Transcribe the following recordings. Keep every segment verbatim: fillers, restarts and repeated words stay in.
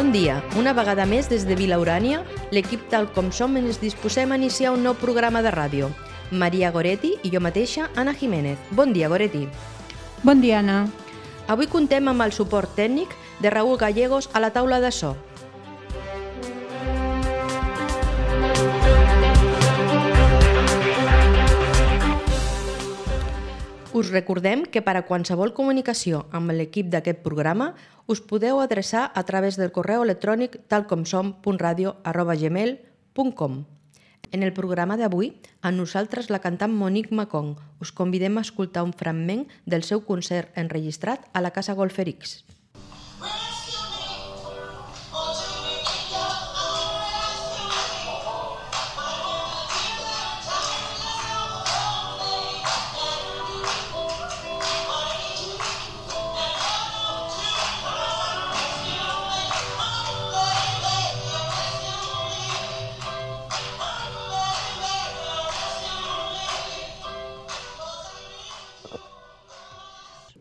Bon dia. Una vegada més des de Vila Urània, l'equip Tal Com Som ens disposem a iniciar un nou programa de ràdio. Maria Goretti i jo mateixa, Anna Jiménez. Bon dia, Goretti. Bon dia, Anna. Avui contem amb el suport tècnic de Raúl Gallegos a la taula de so. Us recordem que per a qualsevol comunicació amb l'equip d'aquest programa us podeu adreçar a través del correu electrònic talcomsom punt radio arroba gmail punt com. En el programa d'avui, a nosaltres la cantant Monique Macon. Us convidem a escoltar un fragment del seu concert enregistrat a la Casa Golferix.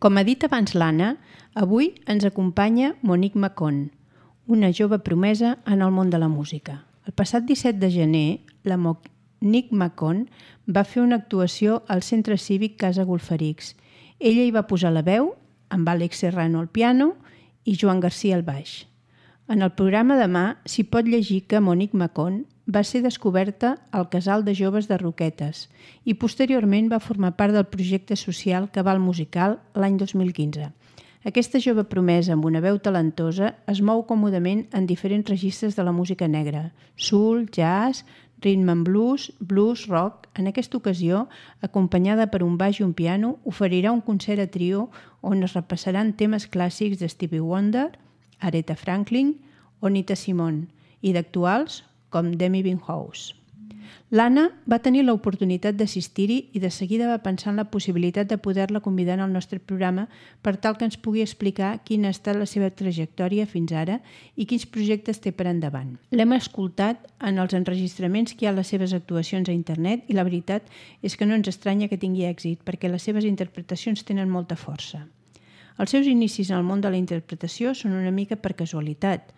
Com ha dit abans l'Anna, avui ens acompanya Monique Macon, una jove promesa en el món de la música. El passat disset de gener, la Monique Macon va fer una actuació al Centre Cívic Casa Golferix. Ella hi va posar la veu, amb Àlex Serrano al piano i Joan Garcia al baix. En el programa demà s'hi pot llegir que Monique Macon va ser descoberta al Casal de Joves de Roquetes i posteriorment va formar part del projecte social Cabal Musical l'any dos mil quinze. Aquesta jove promesa amb una veu talentosa es mou còmodament en diferents registres de la música negra: soul, jazz, rhythm and blues, blues, rock. En aquesta ocasió, acompanyada per un baix i un piano, oferirà un concert a trio on es repassaran temes clàssics de Stevie Wonder, Aretha Franklin o Nina Simone i d'actuals com Demi Winehouse. L'Anna va tenir l'oportunitat d'assistir-hi i de seguida va pensar en la possibilitat de poder-la convidar al nostre programa per tal que ens pugui explicar quina ha estat la seva trajectòria fins ara i quins projectes té per endavant. L'hem escoltat en els enregistraments que hi ha a les seves actuacions a internet i la veritat és que no ens estranya que tingui èxit perquè les seves interpretacions tenen molta força. Els seus inicis en el món de la interpretació són una mica per casualitat.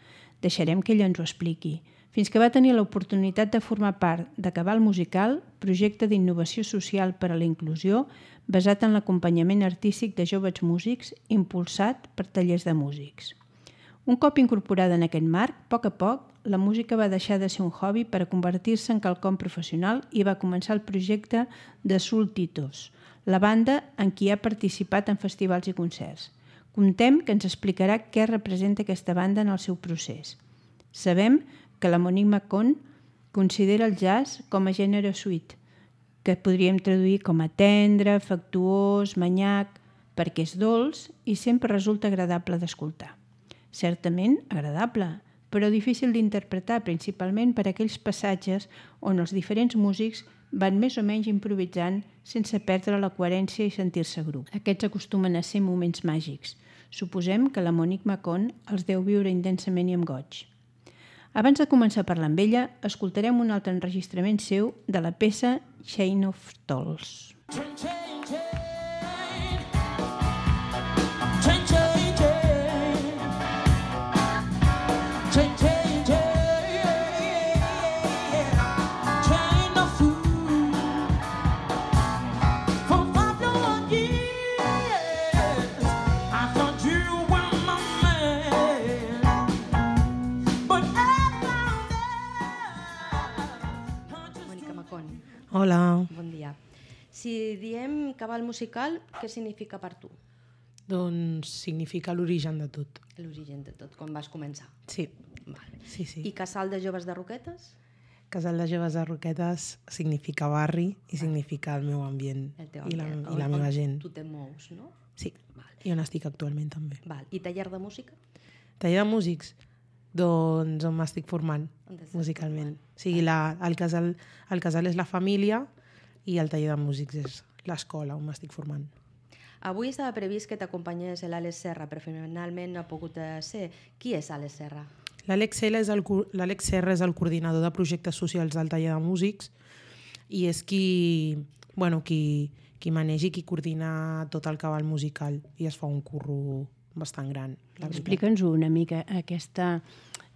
Deixarem que ella ens ho expliqui. Fins que va tenir l'oportunitat de formar part de Cabal Musical, projecte d'innovació social per a la inclusió basat en l'acompanyament artístic de joves músics impulsat per tallers de músics. Un cop incorporada en aquest marc, a poc a poc, la música va deixar de ser un hobby per a convertir-se en quelcom professional i va començar el projecte de Soul Titos, la banda en qui ha participat en festivals i concerts. Contem que ens explicarà què representa aquesta banda en el seu procés. Sabem que la Monique Macon considera el jazz com a gènere sweet, que podríem traduir com a tendre, afectuós, manyac, perquè és dolç i sempre resulta agradable d'escoltar. Certament agradable, però difícil d'interpretar, principalment per aquells passatges on els diferents músics van més o menys improvisant sense perdre la coherència i sentir-se grup. Aquests acostumen a ser moments màgics. Suposem que la Monique Macon els deu viure intensament i amb goig. Abans de començar a parlar amb ella, escoltarem un altre enregistrament seu de la peça Chain of Tolls. Hola. Bon dia. Si diem cabal musical, què significa per tu? Doncs significa l'origen de tot. L'origen de tot, quan vas començar. Sí. Vale. Sí, sí. I Casal de Joves de Roquetes? Casal de Joves de Roquetes significa barri i significa el meu ambient, El teu i la, ambient. i la On- meva on gent. Tu te mous, no? Sí, Vale. i on estic actualment també. Val. I taller de música? Taller de músics? Doncs on m'estic formant On t'estàs musicalment. O sigui, la, el, casal, el casal és la família i el taller de músics és l'escola on m'estic formant. Avui estava previst que t'acompanyés l'Àlex Serra, però finalment no ha pogut ser. Qui és Àlex Serra? L'Àlex Serra és el, l'Àlex Serra és el coordinador de projectes socials del taller de músics i és qui, bueno, qui, qui maneja i qui coordina tot el cabal musical i es fa un curro bastant gran. Explica'ns una mica aquesta,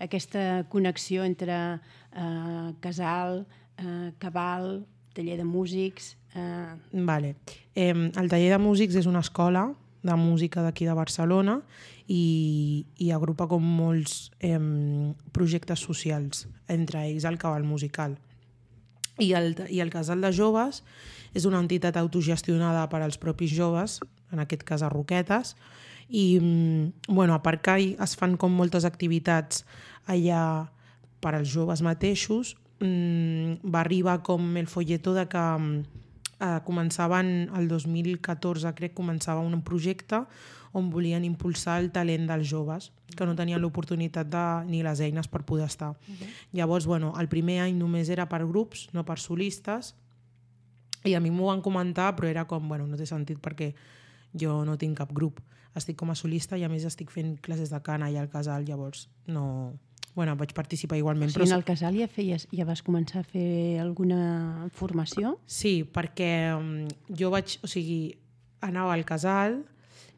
aquesta connexió entre eh, casal, eh, cabal, taller de músics... Eh... Vale. Eh, el taller de músics és una escola de música d'aquí de Barcelona i, i agrupa com molts eh, projectes socials, entre ells el cabal musical. I el, I el casal de joves és una entitat autogestionada per als propis joves, en aquest cas a Roquetes, i bueno, a part que es fan com moltes activitats allà per als joves mateixos, mmm, va arribar com el folleto de que eh, començaven el dos mil catorze, crec, començava un projecte on volien impulsar el talent dels joves, que no tenien l'oportunitat de, ni les eines per poder estar. Uh-huh. Llavors, bueno, el primer any només era per grups, no per solistes, i a mi m'ho van comentar, però era com, bueno, no té sentit perquè jo no tinc cap grup. Estic com a solista i a més estic fent classes de cant allà al casal, llavors no... Bueno, vaig participar igualment. O sigui, però... en el casal ja, feies, ja vas començar a fer alguna formació? Sí, perquè um, jo vaig... O sigui, anava al casal,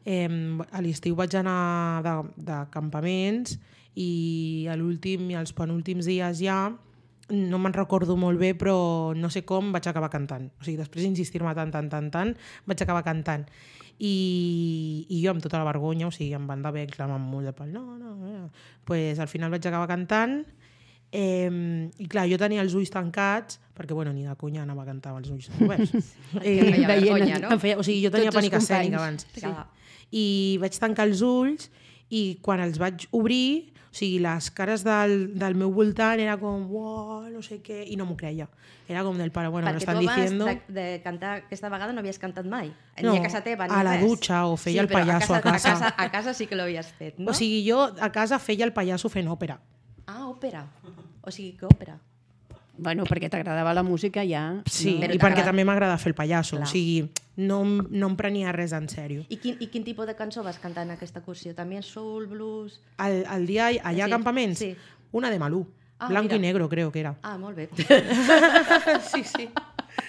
eh, a l'estiu vaig anar de, de campaments i a l'últim i als penúltims dies ja, no me'n recordo molt bé, però no sé com vaig acabar cantant. O sigui, després d'insistir-me tant, tant, tant, tant, vaig acabar cantant. I, i jo amb tota la vergonya, o sigui, em van d'haver clamant molt de pal, no, no, no. Pues al final vaig acabar cantant eh, i clar, jo tenia els ulls tancats perquè, bueno, ni de conya anava a cantar amb els ulls oberts. Eh, feia vergonya, no? Feia, o sigui, jo tenia Tots pànic els escènic companys. abans. Sí. I vaig tancar els ulls i quan els vaig obrir, o sigui, les cares del, del meu voltant era com, uau, no sé què, i no m'ho creia. Era com del pare, bueno, perquè me estan tu abans diciendo... de, de cantar aquesta vegada no havies cantat mai. No, ni a casa teva, ni a la res. dutxa o feia sí, el pallasso a casa, a casa. A casa, a casa sí que l'havies fet, no? O sigui, jo a casa feia el pallasso fent òpera. Ah, òpera. O sigui, que òpera. Bueno, perquè t'agradava la música ja. Sí, no? i perquè també m'agrada fer el pallasso. Clar. O sigui, no, no em prenia res en sèrio. I quin, I quin tipus de cançó vas cantar en aquesta cursió? També soul, blues... El, el dia allà Sí, a campaments, sí. una de Malú. Ah, Blanco mira. y negro, creo que era. Ah, molt bé. sí, sí.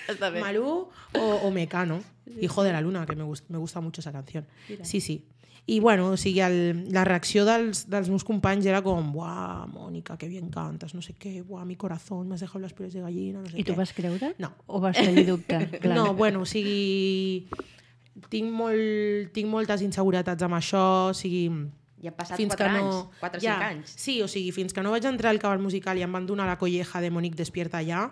Està bé. Malú o, o Mecano, Hijo de la Luna, que me, gust, me gusta mucho esa canción. Mira. Sí, sí. I bueno, o sigui, el, la reacció dels, dels meus companys era com, buah, Mónica, que bien cantas, no sé què, buah, mi corazón, m'has dejado las pieles de gallina, no sé què. I tu vas creure? No. O vas tenir dubte? Clar. No, bueno, o sigui, tinc, molt, tinc moltes inseguretats amb això, o sigui... I han passat fins quatre que no... anys, quatre o ja, cinc anys. Sí, o sigui, fins que no vaig entrar al cabal musical i em van donar la colleja de Monique Despierta allà...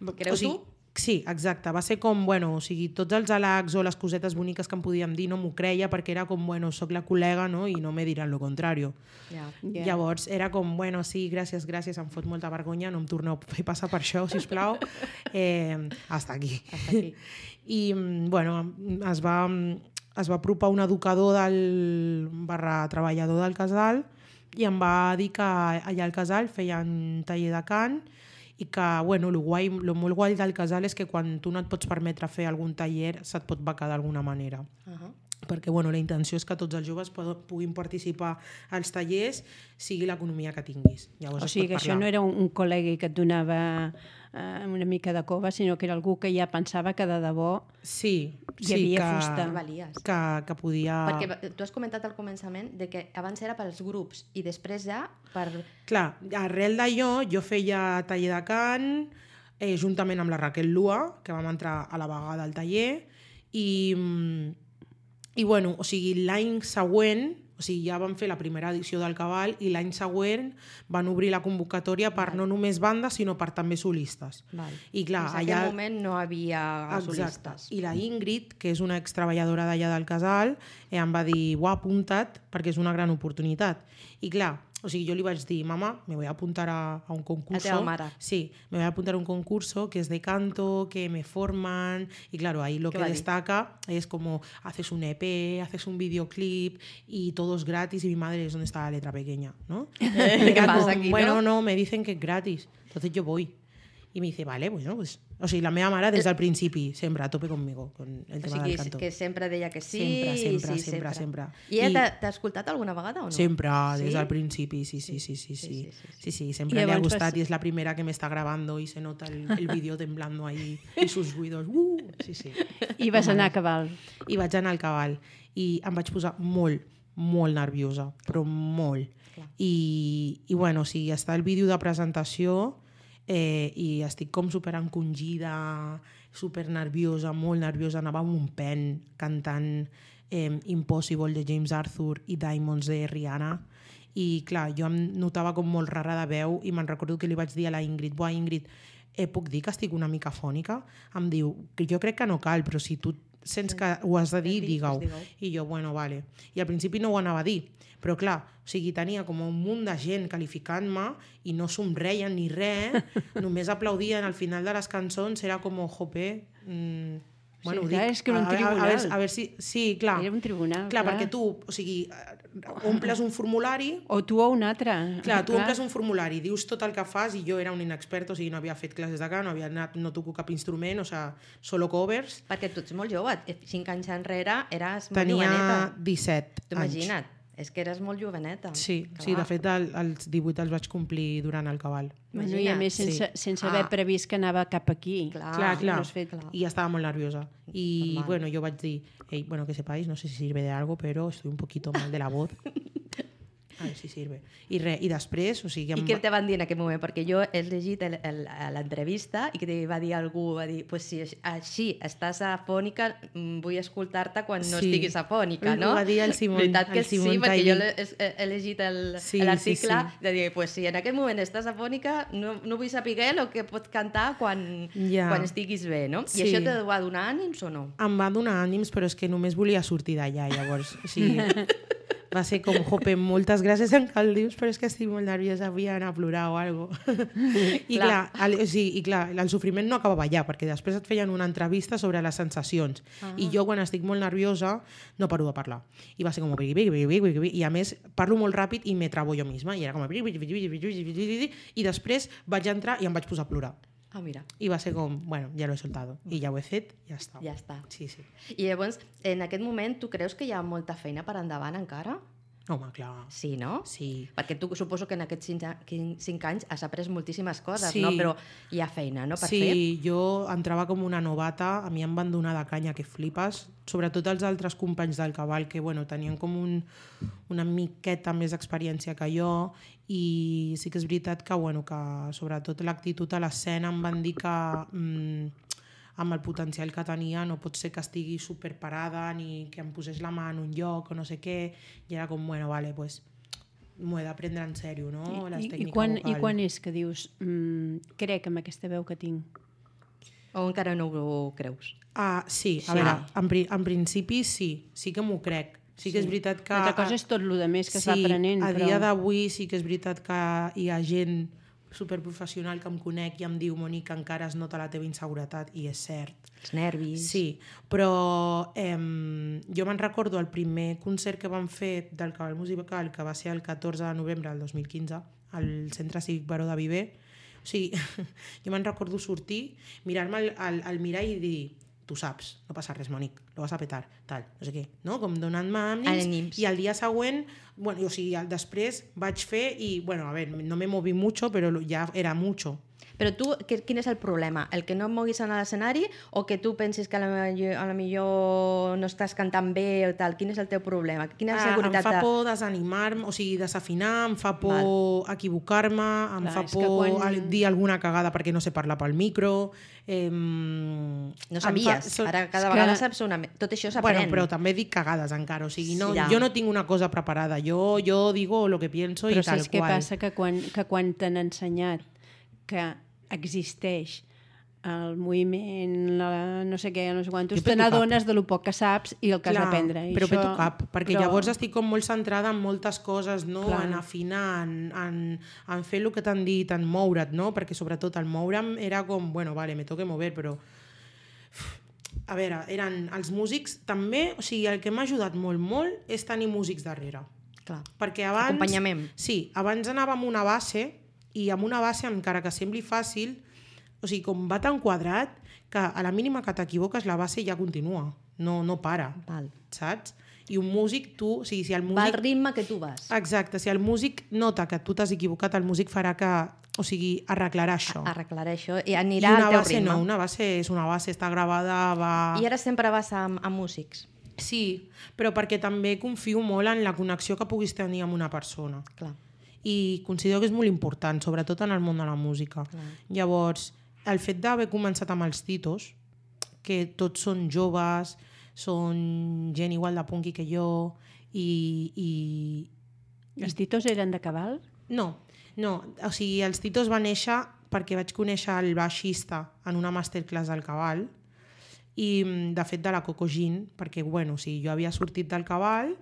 Creus o sigui, tu? Sí, exacte. Va ser com, bueno, o sigui, tots els halacs o les cosetes boniques que em podíem dir no m'ho creia perquè era com, bueno, soc la col·lega, no?, i no me diran lo contrario. Ja. Yeah. Llavors era com, bueno, sí, gràcies, gràcies, em fot molta vergonya, no em torneu a fer passar per això, sisplau. Eh, hasta aquí. Hasta aquí. I, bueno, es va, es va apropar un educador del barra treballador del casal i em va dir que allà al casal feien taller de cant i que, bueno, lo, guai, lo molt guai del casal és que quan tu no et pots permetre fer algun taller se't pot becar d'alguna manera. Uh-huh. Perquè, bueno, la intenció és que tots els joves puguin participar als tallers, sigui l'economia que tinguis. Llavors o sigui que això no era un, un col·lega que et donava eh, una mica de cova, sinó que era algú que ja pensava que de debò sí, hi sí, havia que, fusta. Valies. Que, que podia... Perquè tu has comentat al començament de que abans era pels grups i després ja per... Clar, arrel d'allò jo feia taller de cant eh, juntament amb la Raquel Lua, que vam entrar a la vegada al taller, i... I bueno, o sigui, l'any següent, o sigui, ja van fer la primera edició del Cabal i l'any següent van obrir la convocatòria per Val. No només bandes, sinó per també solistes. Val. I clar, en allà... aquell moment no havia Exacte. solistes. I la Ingrid, que és una extreballadora d'allà del casal, eh, em va dir, uah, apunta't, perquè és una gran oportunitat. I clar, o sigui, jo li vaig dir, mamá, me voy a apuntar a, a un concurso. A teva mare. Sí, me voy a apuntar a un concurso que es de canto, que me forman, y claro, ahí lo que destaca es como haces un E P, haces un videoclip y todo es gratis y mi madre es donde está la letra pequeña, ¿no? ¿Qué pasa aquí, bueno, no? no, me dicen que es gratis, entonces yo voy. Y me dice, vale, bueno, pues... O sigui, la meva mare des del principi sempre a tope conmigo con el tema o sigui, del canto. que sempre deia que sí. Sempre, sempre, sí, sempre, sempre. I ella t'ha escoltat alguna vegada o no? Sempre, ¿Sí? des del principi, sí, sí, sí, sí, sí. Sí, sí, sí, sí. Sí, sí, siempre Y le ha llavors gustat vas- y es la primera que me está grabando y se nota el, el vídeo temblando ahí y sus ruidos. Uh, sí, sí. I vas anar a cabal. I vaig anar al cabal i em vaig posar molt, molt nerviosa, però molt. I, i bueno, o sigui, està el vídeo de presentació eh, i estic com super encongida, super nerviosa, molt nerviosa, anava amb un pen cantant eh, Impossible de James Arthur i Diamonds de Rihanna. I clar, jo em notava com molt rara de veu i me'n recordo que li vaig dir a la Ingrid, buah, Ingrid, eh, puc dir que estic una mica fònica? Em diu, que jo crec que no cal, però si tu sents que ho has de dir, digue-ho. I jo, bueno, vale. I al principi no ho anava a dir, però clar, o sigui, tenia com un munt de gent qualificant-me i no somreien ni res, només aplaudien al final de les cançons, era com, jope... Mmm, bueno, sí, dic, clar, és que era un a, tribunal. A, a, a, veure, a veure si... Sí, clar. Era un tribunal, clar. clar. Perquè tu, o sigui, omples un formulari... O tu o un altre. Clar, tu clar. omples un formulari, dius tot el que fas i jo era un inexpert, o sigui, no havia fet classes de cant, no havia anat, no toco cap instrument, o sigui, solo covers. Perquè tu ets molt jove, cinc anys enrere eres molt Tenia joveneta. Tenia disset anys. Imagina't. És que eres molt joveneta. Sí, clar. sí, de fet el, els divuit els vaig complir durant el cabal. Bueno, i a més sense, sí. sense haver ah. previst que anava cap aquí. Clar, clar, clar. No fet... clar. I estava molt nerviosa. I normal. Bueno, jo vaig dir, hey, bueno, que sepáis, no sé si sirve de algo, pero estoy un poquito mal de la voz. A ver si sirve. I, re, i després... O sigui, I què te van dir en aquell moment? Perquè jo he llegit l'entrevista i que va dir algú, va dir, pues si així estàs afònica, vull escoltar-te quan no sí. estiguis afònica, no? Ho va dir el Simon. Veritat que el Simon sí, perquè jo he, he llegit l'article sí, sí, sí. de dir, pues si en aquell moment estàs afònica, no, no vull saber el que pots cantar quan, ja. quan estiguis bé, no? Sí. I això te va donar ànims o no? Em va donar ànims, però és que només volia sortir d'allà, llavors. O sigui... Va ser com, jope, moltes gràcies en que el dius, però és que estic molt nerviosa, vull anar a plorar o alguna cosa. I clar, clar el, o sigui, i clar, el sofriment no acabava allà, perquè després et feien una entrevista sobre les sensacions. Ah. I jo, quan estic molt nerviosa, no paro de parlar. I va ser com... I a més, parlo molt ràpid i me trabo jo misma. I era com... I després vaig entrar i em vaig posar a plorar. Ah, mira. I va ser com, bueno, ja l'he soltado. I ja ho he fet, ja està. Ja està. Sí, sí. I llavors, en aquest moment, tu creus que hi ha molta feina per endavant encara? Home, clar. Sí, no? Sí. Perquè tu suposo que en aquests cinc anys has après moltíssimes coses, sí. no? Però hi ha feina, no?, per sí, fer. Sí, jo entrava com una novata, a mi em van donar de canya que flipes, sobretot els altres companys del cabal que, bueno, tenien com un, una miqueta més d'experiència que jo, i sí que és veritat que, bueno, que sobretot l'actitud a l'escena em van dir que mmm, amb el potencial que tenia no pot ser que estigui superparada ni que em posés la mà en un lloc o no sé què, i era com, bueno, vale, pues m'ho he de prendre en sèrio, no? I, Les i, tècniques quan, vocal. I quan és que dius, mmm, crec amb aquesta veu que tinc? O encara no ho creus? Ah, sí, a sí. veure, en, pri en principi sí, sí que m'ho crec. Sí que és veritat que... L'altra cosa és tot el que més que sí, es va aprenent. a però... dia d'avui sí que és veritat que hi ha gent superprofessional que em conec i em diu, Mònica, encara es nota la teva inseguretat, i és cert. Els nervis. Sí, però eh, jo me'n recordo el primer concert que vam fer del Cabal Musical, que va ser el catorze de novembre del dos mil quinze, al Centre Cívic Baró de Viver. O sigui, jo me'n recordo sortir, mirar-me al, al, al mirall i dir, tu saps, no passa res, Mònic, lo vas a petar, tal, no sé què, no? Com donant-me ànims, i el dia següent, bueno, o sigui, després vaig fer i, bueno, a ver, no me moví mucho, però ja era mucho. Però tu, quin és el problema? El que no et moguis en l'escenari o que tu pensis que a la, a la millor no estàs cantant bé o tal? Quin és el teu problema? Quina ah, seguretat? Em fa por desanimar-me, o sigui, desafinar, em fa por equivocar-me, em Clar, fa por quan... dir alguna cagada perquè no sé parlar pel micro... Eh, no sabies, fa... ara cada que... vegada saps una... Tot això s'aprèn. Bueno, però també dic cagades encara, o sigui, no, sí, ja. jo no tinc una cosa preparada, jo, jo digo lo que pienso però i tal saps qual. Però què passa? Que quan, que quan t'han ensenyat que existeix el moviment, la, no sé què, no sé quantos, te n'adones de lo poc que saps i el que Clar, has d'aprendre. Però això... peto cap, perquè però... llavors estic com molt centrada en moltes coses, no? Clar. En afinar, en, en, en fer el que t'han dit, en moure't, no? Perquè sobretot el moure'm era com, bueno, vale, me toque mover, però... A veure, eren els músics també, o sigui, el que m'ha ajudat molt, molt és tenir músics darrere. Clar. Perquè abans... Acompanyament. Sí, abans anàvem amb una base i amb una base, encara que sembli fàcil, o sigui, com va tan quadrat que a la mínima que t'equivoques la base ja continua, no, no para, Val. saps? I un músic, tu... O sigui, si el músic... Va al ritme que tu vas. Exacte, si el músic nota que tu t'has equivocat, el músic farà que... O sigui, arreglarà això. Arreglarà això i anirà I al teu base ritme. No, una base és una base, està gravada, va... I ara sempre vas amb, amb músics? Sí, però perquè també confio molt en la connexió que puguis tenir amb una persona. Clar. I considero que és molt important, sobretot en el món de la música. Clar. Llavors, el fet d'haver començat amb els Titos, que tots són joves, són gent igual de punky que jo, i... i... Els Titos eren de Cabal? No, no, o sigui, els Titos va néixer perquè vaig conèixer el baixista en una masterclass del Cabal, i de fet de la Coco Jean, perquè bueno, o sigui, jo havia sortit del Cabal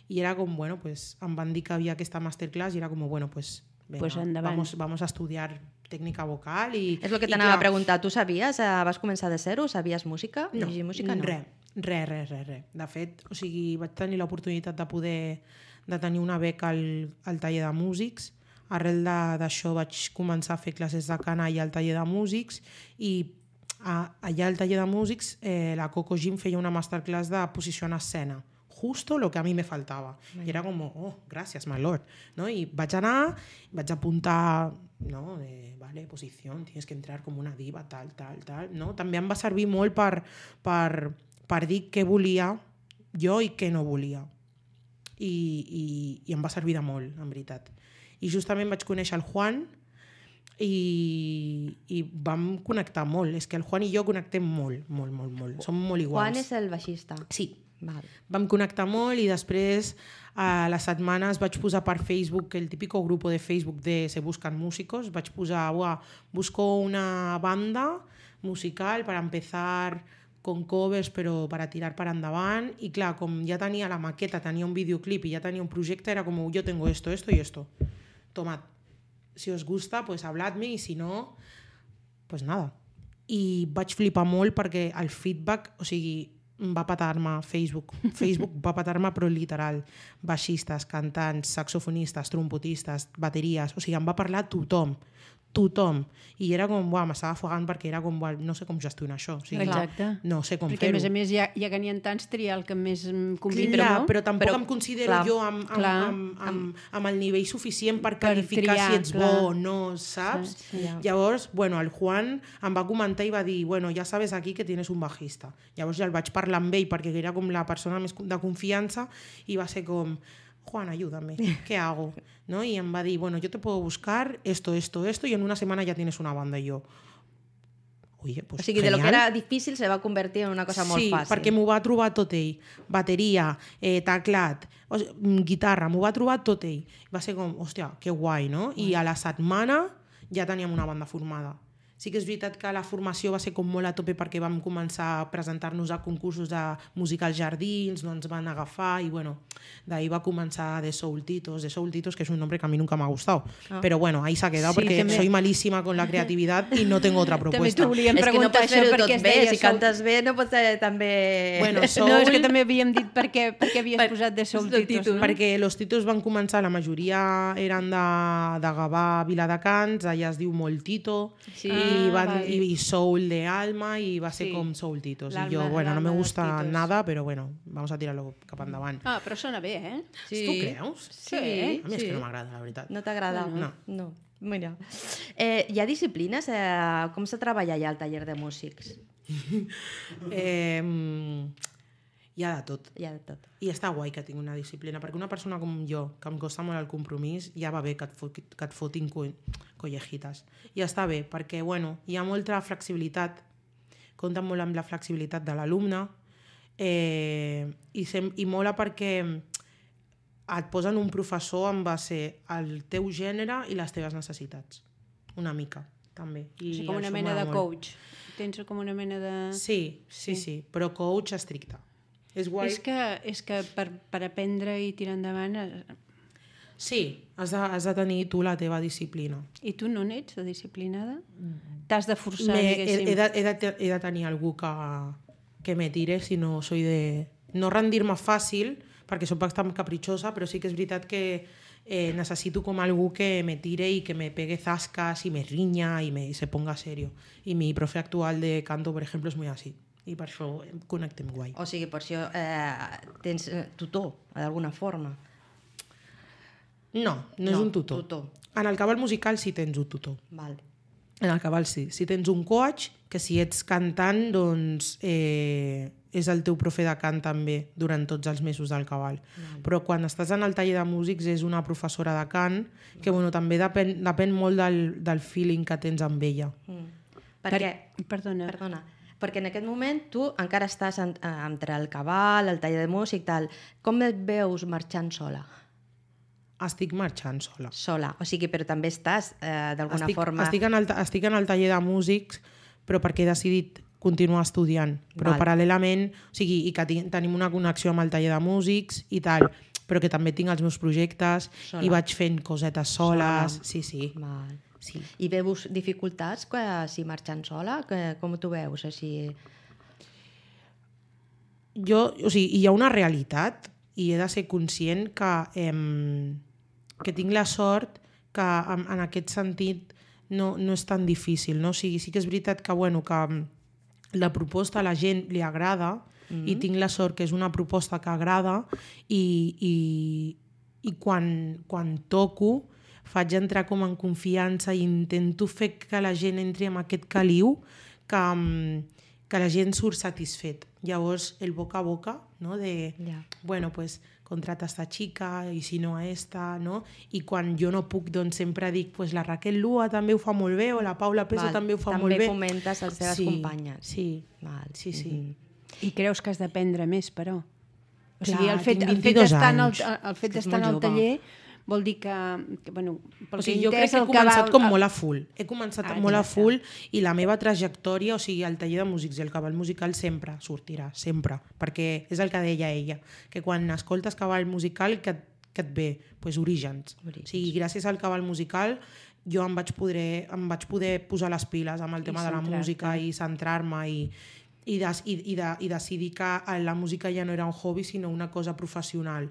i era com, bueno, pues, em van dir que havia aquesta masterclass i era com, bueno, pues, venga, pues vamos, vamos a estudiar tècnica vocal. I, és el que t'anava a preguntar, tu sabies, eh, vas començar de zero, sabies música? No, llegir música? No, res, res, res, res, res. De fet, o sigui, vaig tenir l'oportunitat de poder de tenir una beca al, al taller de músics. Arrel d'això vaig començar a fer classes de canalla al taller de músics i a, allà al taller de músics eh, la Coco Jean feia una masterclass de posició en escena, justo lo que a mi me faltava. Mm. I era com, oh, gràcies, my lord. ¿No? I vaig anar, vaig apuntar, no, de, vale, posició, tienes que entrar com una diva, tal, tal, tal. No? També em va servir molt per, per, per dir què volia jo i què no volia. I, i, i em va servir de molt, en veritat. I justament vaig conèixer el Juan, i, i vam connectar molt. És que el Juan i jo connectem molt, molt, molt, molt. Som molt iguals. Juan és el baixista? Sí. Val. Vam connectar molt i després a les setmanes vaig posar per Facebook, el típico grupo de Facebook de Se Buscan Músicos, vaig posar, uah, busco una banda musical para empezar con covers però para tirar para endavant, i clar, com ja tenia la maqueta, tenia un videoclip i ja tenia un projecte, era com, yo tengo esto, esto y esto. Tomad. Si os gusta, pues habladme, i si no, pues nada. I vaig flipar molt perquè el feedback, o sigui, va petar-me Facebook. Facebook va petar-me, però literal. Baixistes, cantants, saxofonistes, trompetistes, bateries, o sigui, em va parlar tothom. Tothom. I era com, uah, m'estava afogant perquè era com, uah, no sé com gestionar això. O sigui, exacte. No sé com perquè, fer-ho. a més a més, ja, ja que n'hi ha tants, triar el que més convé. Clar, no? però tampoc però, em considero clar, jo amb, amb, clar, amb, amb, amb el nivell suficient per per qualificar triar, si ets clar. bo o no, saps? Sí, sí. Llavors, bueno, el Juan em va comentar i va dir, bueno, ja sabes aquí que tienes un bajista. Llavors ja el vaig parlar amb ell perquè era com la persona més de confiança i va ser com, Juan, ayúdame, ¿qué hago? ¿No? Y em va dir, bueno, yo te puedo buscar esto, esto, esto, y en una semana ya tienes una banda. Y yo, oye, pues o sigui, genial. de lo que era difícil se va convertir en una cosa molt sí, fàcil. Sí, perquè m'ho va trobar tot ell. Bateria, eh, teclat, o sigui, guitarra, m'ho va trobar tot ell. Va ser com, hòstia, que guai, no? I a la setmana ja teníem una banda formada. Sí que és veritat que la formació va ser com molt a tope perquè vam començar a presentar-nos a concursos de música als jardins, no ens van agafar i bueno, d'ahí va començar de Soul Titos, de Soul Titos, que es un nombre que a mí nunca me ha gustado. Ah. Pero bueno, ahí se ha quedado sí, porque també... soy malísima con la creatividad y no tengo otra propuesta. També t'ho volíem preguntar és que no això perquè es bé, deia si Soul... cantes bé no pots ser també... Bueno, soul... No, és que també havíem dit per què, per què havies per... posat de Soul Titos. No? Perquè los Titos van començar, la majoria eren de, de Gavà, Viladecans, allà es diu molt Tito, sí. i, van, ah, i, i Soul de Alma, i va ser sí. com Soul Titos. I jo, bueno, no me gusta nada, pero bueno, vamos a tirarlo cap endavant. Ah, però sona bé, eh? Sí. Tu creus? Sí. A mi és sí. que no m'agrada, la veritat. No t'agrada? No. no. Mira. Eh, hi ha disciplines? Eh, com se treballa allà al taller de músics? eh, hi ha de tot. Hi ha de tot. I està guai que tingui una disciplina, perquè una persona com jo, que em costa molt el compromís, ja va bé que et, fot, que et fotin co collejitas. I està bé, perquè bueno, hi ha molta flexibilitat, compten molt amb la flexibilitat de l'alumne, eh, i, sem i mola perquè et posen un professor en base al teu gènere i les teves necessitats. Una mica, també. I o sigui, com una mena de coach. Tens com una mena de... Sí, sí, sí, sí, però coach estricte. És guai. És que, és que per, per aprendre i tirar endavant... Sí, has de, has de tenir tu la teva disciplina. I tu no n'ets de disciplinada? T'has de forçar, me, diguéssim. He, he, de, he, de, he de tenir algú que, que me tire, si no soy de... No rendir-me fàcil, perquè soc bastant capritxosa, però sí que és veritat que eh, necessito com algú que me tire i que me pegue zascas i me riña i me, se ponga serio. I mi profe actual de canto, per exemple, és muy así. I per això connectem guai. O sigui, per això eh, tens tutor, d'alguna forma. No, no, no és un tutor. tutor. En el cabal musical sí tens un tutor. Val. En el cabal sí. Si tens un coach, que si ets cantant, doncs eh, és el teu profe de cant també durant tots els mesos del cabal. Mm. Però quan estàs en el taller de músics és una professora de cant que bueno, també depèn, depèn molt del, del feeling que tens amb ella. Mm. Perquè, per, perdona. perdona, perquè en aquest moment tu encara estàs en, entre el cabal, el taller de músic, tal. Com et veus marxant sola? Estic marxant sola. Sola, o sigui, però també estàs eh, d'alguna estic, forma... Estic en, el, estic en el taller de músics, però perquè he decidit continuar estudiant. Però Val. paral·lelament, o sigui, i que tenim una connexió amb el taller de músics i tal, però que també tinc els meus projectes Sola. i vaig fent cosetes soles. Sola. Sí, sí. Val. sí. I veus dificultats que, si marxant sola? Que, com t'ho veus? Així... Jo, o sigui, hi ha una realitat i he de ser conscient que, eh, que tinc la sort que en, en aquest sentit no, no és tan difícil. No? O sigui, sí que és veritat que, bueno, que la proposta a la gent li agrada mm-hmm. i tinc la sort que és una proposta que agrada i, i, i quan, quan toco faig entrar com en confiança i intento fer que la gent entri en aquest caliu que, que la gent surt satisfet. Llavors, el boca a boca, no? de, Yeah. bueno, pues, contrata esta chica i si no a esta, no? I quan jo no puc, doncs sempre dic, pues la Raquel Lua també ho fa molt bé o la Paula Peso Val. també ho fa també molt bé. També fomentes les teves sí, companyes. Sí, Val. sí, sí. Mm-hmm. I creus que has d'aprendre més, però? O Clar, sigui, el fet, tinc el fet vint-i-dos d'estar en el, anys. el fet És que és d'estar en molt el jove. taller vol dir que, que bueno, pel O sigui, que jo crec que he el començat cabal- com molt a full. He començat Ah, molt a exacte. full i la meva trajectòria, o sigui, el taller de músics i el cabal musical sempre sortirà, sempre. Perquè és el que deia ella, que quan escoltes cabal musical, que, que et ve? Pues orígens. Orígens. O sigui, gràcies al cabal musical jo em vaig poder, em vaig poder posar les piles amb el I tema de la centrar-te. música i centrar-me i, i, des, i, i, de, i decidir que la música ja no era un hobby sinó una cosa professional.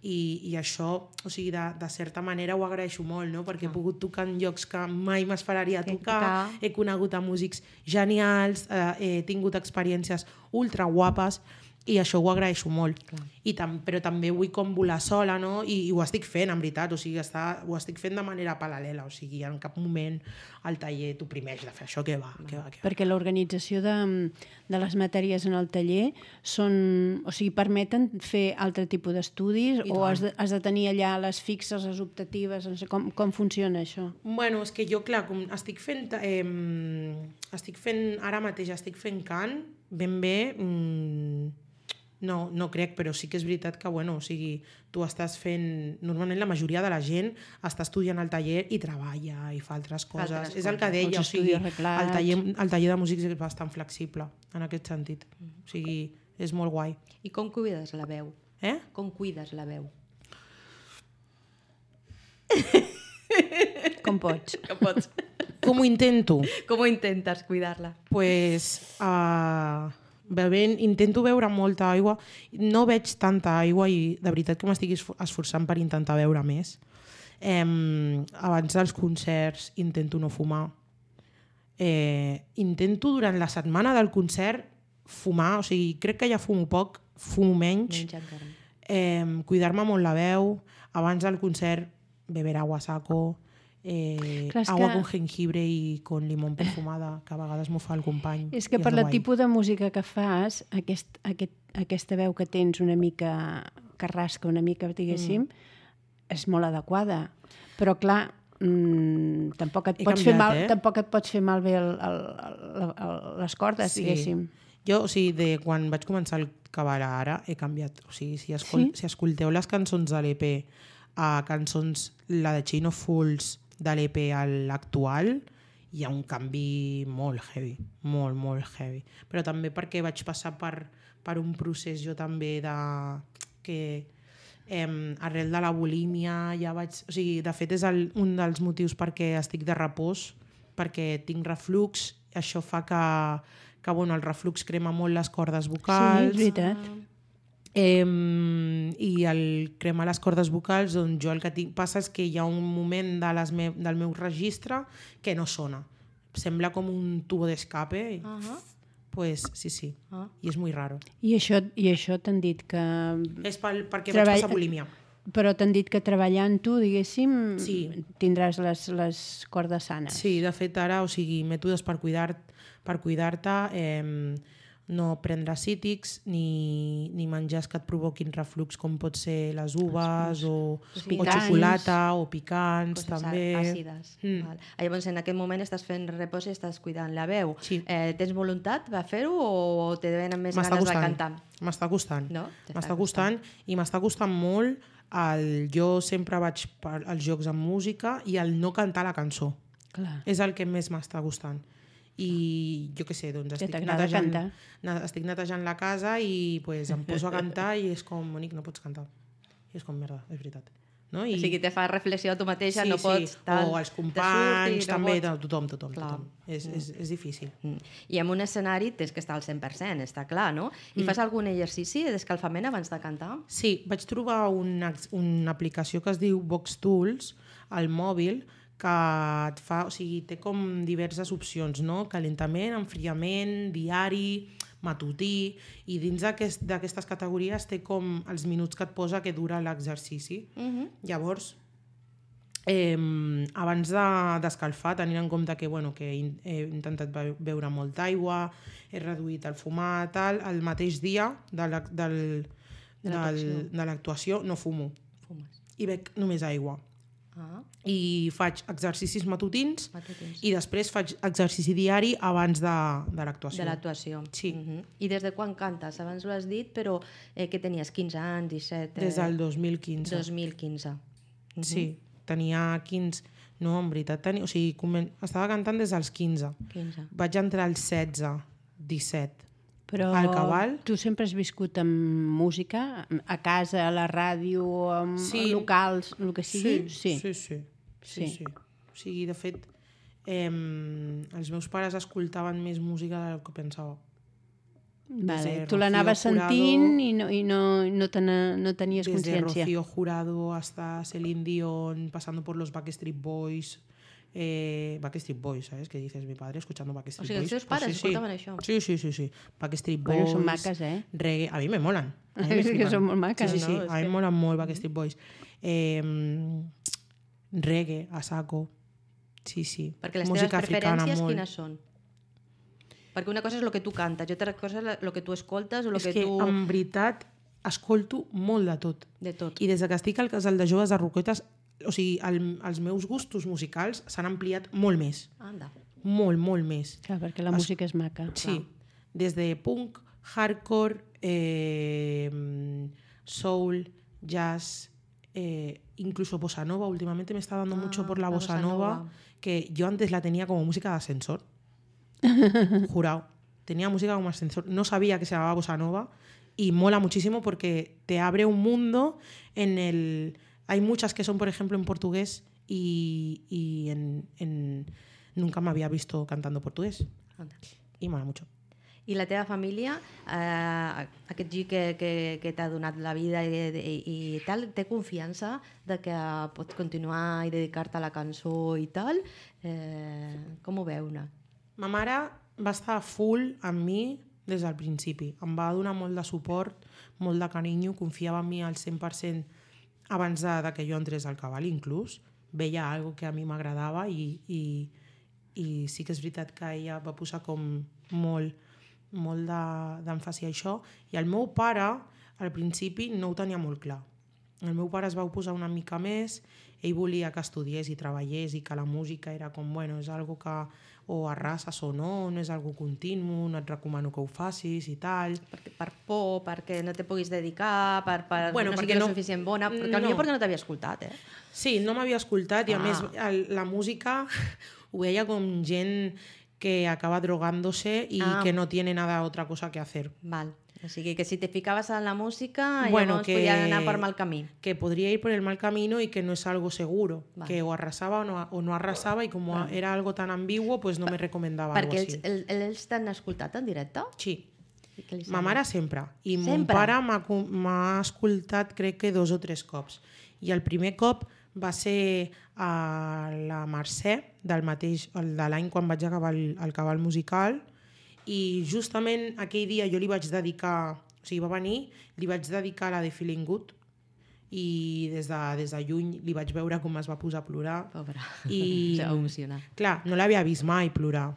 I, i això, o sigui, de, de certa manera ho agraeixo molt, no? Perquè he pogut tocar en llocs que mai m'esperaria tocar, tocar. he conegut a músics genials, eh, he tingut experiències ultra guapes i això ho agraeixo molt. Clar. I tam però també vull com volar sola, no? I, i ho estic fent, en veritat, o sigui, està, ho estic fent de manera paral·lela, o sigui, en cap moment el taller t'oprimeix de fer això, que va, que va, que va. Perquè l'organització de, de les matèries en el taller són, o sigui, permeten fer altre tipus d'estudis o has de, has de tenir allà les fixes, les optatives, no sé com, com funciona això? Bueno, és que jo, clar, com estic fent, eh, estic fent, ara mateix estic fent cant, ben bé, mm, no, no crec, però sí que és veritat que, bueno, o sigui, tu estàs fent... Normalment la majoria de la gent està estudiant al taller i treballa i fa altres coses. Altres és el que coses. deia, Els o sigui, estudis reglats. el taller, el taller de músics és bastant flexible en aquest sentit. O sigui, és molt guai. I com cuides la veu? Eh? Com cuides la veu? Com pots? Com pots? Com ho intento? Com ho intentes cuidar-la? Pues, uh, bevent, intento beure molta aigua. No veig tanta aigua i de veritat que m'estic esforçant per intentar beure més. Eh, abans dels concerts intento no fumar. Eh, intento durant la setmana del concert fumar, o sigui, crec que ja fumo poc, fumo menys. Menys encara. Eh, cuidar-me molt la veu. Abans del concert beber agua a saco. Eh, Clar, és agua que- con jengibre i con limón perfumada, que a vegades m'ho fa el company. És que i per el guai. tipus de música que fas, aquest, aquest, aquesta veu que tens una mica carrasca, una mica, diguéssim, mm. és molt adequada. Però, clar, mmm, tampoc, et He pots fer canviat, mal, eh? tampoc et pots fer malbé el, el, el, el, les cordes, Sí. diguéssim. Jo, o sigui, de quan vaig començar el cabal a ara, he canviat. O sigui, si, escol Sí? si escolteu les cançons de l'E P a cançons, la de Chain of Fools de l'E P a l'actual, hi ha un canvi molt heavy, molt, molt heavy. Però també perquè vaig passar per, per un procés jo també de... que eh, arrel de la bulímia ja vaig... O sigui, de fet és el, un dels motius perquè estic de repòs, perquè tinc reflux, això fa que, que bueno, el reflux crema molt les cordes Sí, vocals. és veritat. Eh, i el cremar les cordes vocals, doncs jo el que tinc, passa és que hi ha un moment de les me, del meu registre que no sona. Sembla com un tubo d'escape. Uh -huh. Pues sí, sí. Ah. I és molt raro. I això, i això t'han dit que... És pel, perquè Treball- vaig passar bulímia. però t'han dit que treballant tu, diguéssim, Sí. tindràs les, les cordes sanes. Sí, de fet ara, o sigui, mètodes per cuidar per cuidar-te, eh, no prendre cítrics ni, ni menjars que et provoquin reflux com pot ser les uves o, o picants. xocolata o picants Coses també. àcides. Mm. Val. Llavors, en aquest moment estàs fent repòs i estàs cuidant la veu. Sí. Eh, tens voluntat de fer-ho o te venen més M'està ganes de costant. cantar? M'està costant. No? T'està M'està costant i m'està costant molt el, jo sempre vaig per, als jocs amb música i el no cantar la cançó. Clar. És el que més m'està costant. I jo què sé, doncs estic netejant, cantar. estic netejant la casa i pues, em poso a cantar i és com, Monic, no pots cantar. I és com, merda, és veritat. No? I... O sigui, te fa reflexió a tu mateixa, sí, no pots... Sí. Tal, o els companys, no també, pots... tothom, tothom. Clar. tothom. És, és, és difícil. Mm. I en un escenari tens que estar al cent per cent, està clar, no? I mm. fas algun exercici d'escalfament abans de cantar? Sí, vaig trobar una, una aplicació que es diu Vox Tools al mòbil que et fa, o sigui, té com diverses opcions, no? Calentament, enfriament, diari, matutí, i dins d'aquest, d'aquestes categories té com els minuts que et posa que dura l'exercici. Uh-huh. Llavors, eh, abans de, d'escalfar, tenint en compte que, bueno, que he intentat beure molta aigua, he reduït el fumar, tal, el mateix dia de, la, del, de, l'actuació. Del, de l'actuació no fumo. Fumes. I bec només aigua. Ah. I faig exercicis matutins, matutins i després faig exercici diari abans de, de l'actuació. De l'actuació. Sí. Uh-huh. I des de quan cantes? Abans ho has dit, però eh, que tenies quinze anys, disset... Eh... Des del dos mil quinze. dos mil quinze. Uh-huh. Sí, tenia quinze... No, en veritat, tenia... o sigui, comen... estava cantant des dels quinze. quinze. Vaig entrar als setze, disset. Però al Cabal. Tu sempre has viscut amb música? A casa, a la ràdio, amb Sí. locals, el que sigui? Sí, sí, sí. sí, Sí. sí. O sigui, de fet, eh, els meus pares escoltaven més música del que pensava. Vale. Desde Tu l'anaves Rocío sentint Jurado, i no, i no, no, te no tenies Desde consciència. Rocío Jurado hasta Celine Dion, pasando por los Backstreet Boys... Eh, Backstreet Boys, ¿sabes? Que dices, mi padre escuchando Backstreet O sigui, Boys. els teus pares Pues sí, escoltaven sí. això? Sí, sí, sí, sí. Backstreet Boys. Bueno, són maques, eh? Reggae. A mi me molan. A mi me És que flipen. són molt maques, sí, sí, sí. no? És A mi que- em molen molt Backstreet Boys. Eh, reggae, a saco. Sí, sí. Perquè les Música teves africana preferències molt. quines són? Perquè una cosa és el que tu cantes i altra cosa és el que tu escoltes o el És que, que, tu... en veritat, escolto molt de tot. De tot. I des que estic al casal de joves de Roquetes, o sigui, el, els meus gustos musicals s'han ampliat molt més. Anda. Molt, molt més. Clar, perquè la Es- música és maca. Sí, des de punk, hardcore, eh, soul, jazz, eh, incluso bossa nova. Últimamente me está dando Ah, mucho por la la bossa bossa nova, nova. que yo antes la tenía como música de ascensor. Jurado. Tenía música como ascensor. No sabía que se llamaba bossa nova y mola muchísimo porque te abre un mundo en el... Hay muchas que son, por ejemplo, en portugués y, y en, en... nunca me había visto cantando portugués. Anda. I mola mucho. I la teva família, eh, aquest gir que, que, que t'ha donat la vida i, i, i tal, té confiança de que pots continuar i dedicar-te a la cançó i tal? Eh, com ho veu, una? Ma mare va estar full amb mi des del principi. Em va donar molt de suport, molt de carinyo, confiava en mi al cent per cent abans de, de que jo entrés al Cabal, inclús. Veia algo que a mi m'agradava i, i, i sí que és veritat que ella va posar com molt, molt d'èmfasi a això. I el meu pare, al principi, no ho tenia molt clar. El meu pare es va posar una mica més, ell volia que estudiés i treballés i que la música era com, bueno, és algo que o arrases o no, no és algo continu, no et recomano que ho facis i tal. Per, per por, perquè no te puguis dedicar, per, per Bueno, no perquè siguis no- suficient bona, perquè no. potser perquè no t'havia escoltat, eh? Sí, no m'havia escoltat i a Ah. més el, la música ho veia com gent que acaba drogándose y Ah. que no tiene nada otra cosa que hacer. Val. O sigui que si te ficaves en la música, Bueno, llavors que- podies anar per mal camí. Que podría ir por el mal camino y que no es algo seguro, Vale. que o arrasaba o no, o no arrasaba y como era algo tan ambiguo, pues no me recomendaba algo Perquè así. ells, el, ells t'han escoltat en directe? Sí, I què li ma sembla? mare sempre. I mon Sempre? pare m'ha co- m'ha escoltat crec que dos o tres cops. I el primer cop va ser a la Mercè, del mateix, el de l'any quan vaig acabar el, el cabal musical, i justament aquell dia jo li vaig dedicar, o sigui, va venir, li vaig dedicar la de Feeling Good, i des de, des de lluny li vaig veure com es va posar a plorar. Pobra, I, se va emocionar. Clar, no l'havia vist mai plorar,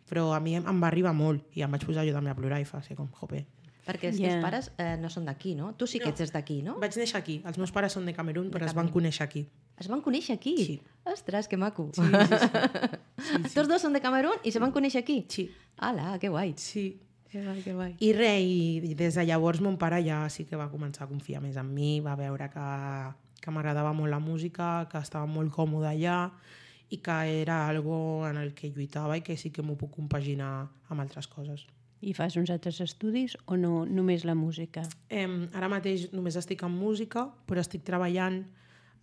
però a mi em, em va arribar molt i em vaig posar jo també a plorar i fa ser com, jope. Perquè els Yeah. teus pares eh, no són d'aquí, no? Tu sí que No. ets d'aquí, no? Vaig néixer aquí. Els meus pares són de Camerún, però es van Camerún. conèixer aquí. Es van conèixer aquí? Sí. Ostres, que maco. Sí, sí, sí. sí, sí. Tots dos són de Camerún i se van conèixer aquí? Sí. Ala, que guai. Sí. Que guai, que guai. I res, i des de llavors mon pare ja sí que va començar a confiar més en mi, va veure que, que m'agradava molt la música, que estava molt còmode allà i que era algo en el que lluitava i que sí que m'ho puc compaginar amb altres coses. I fas uns altres estudis o no, només la música? Eh, ara mateix només estic en música, però estic treballant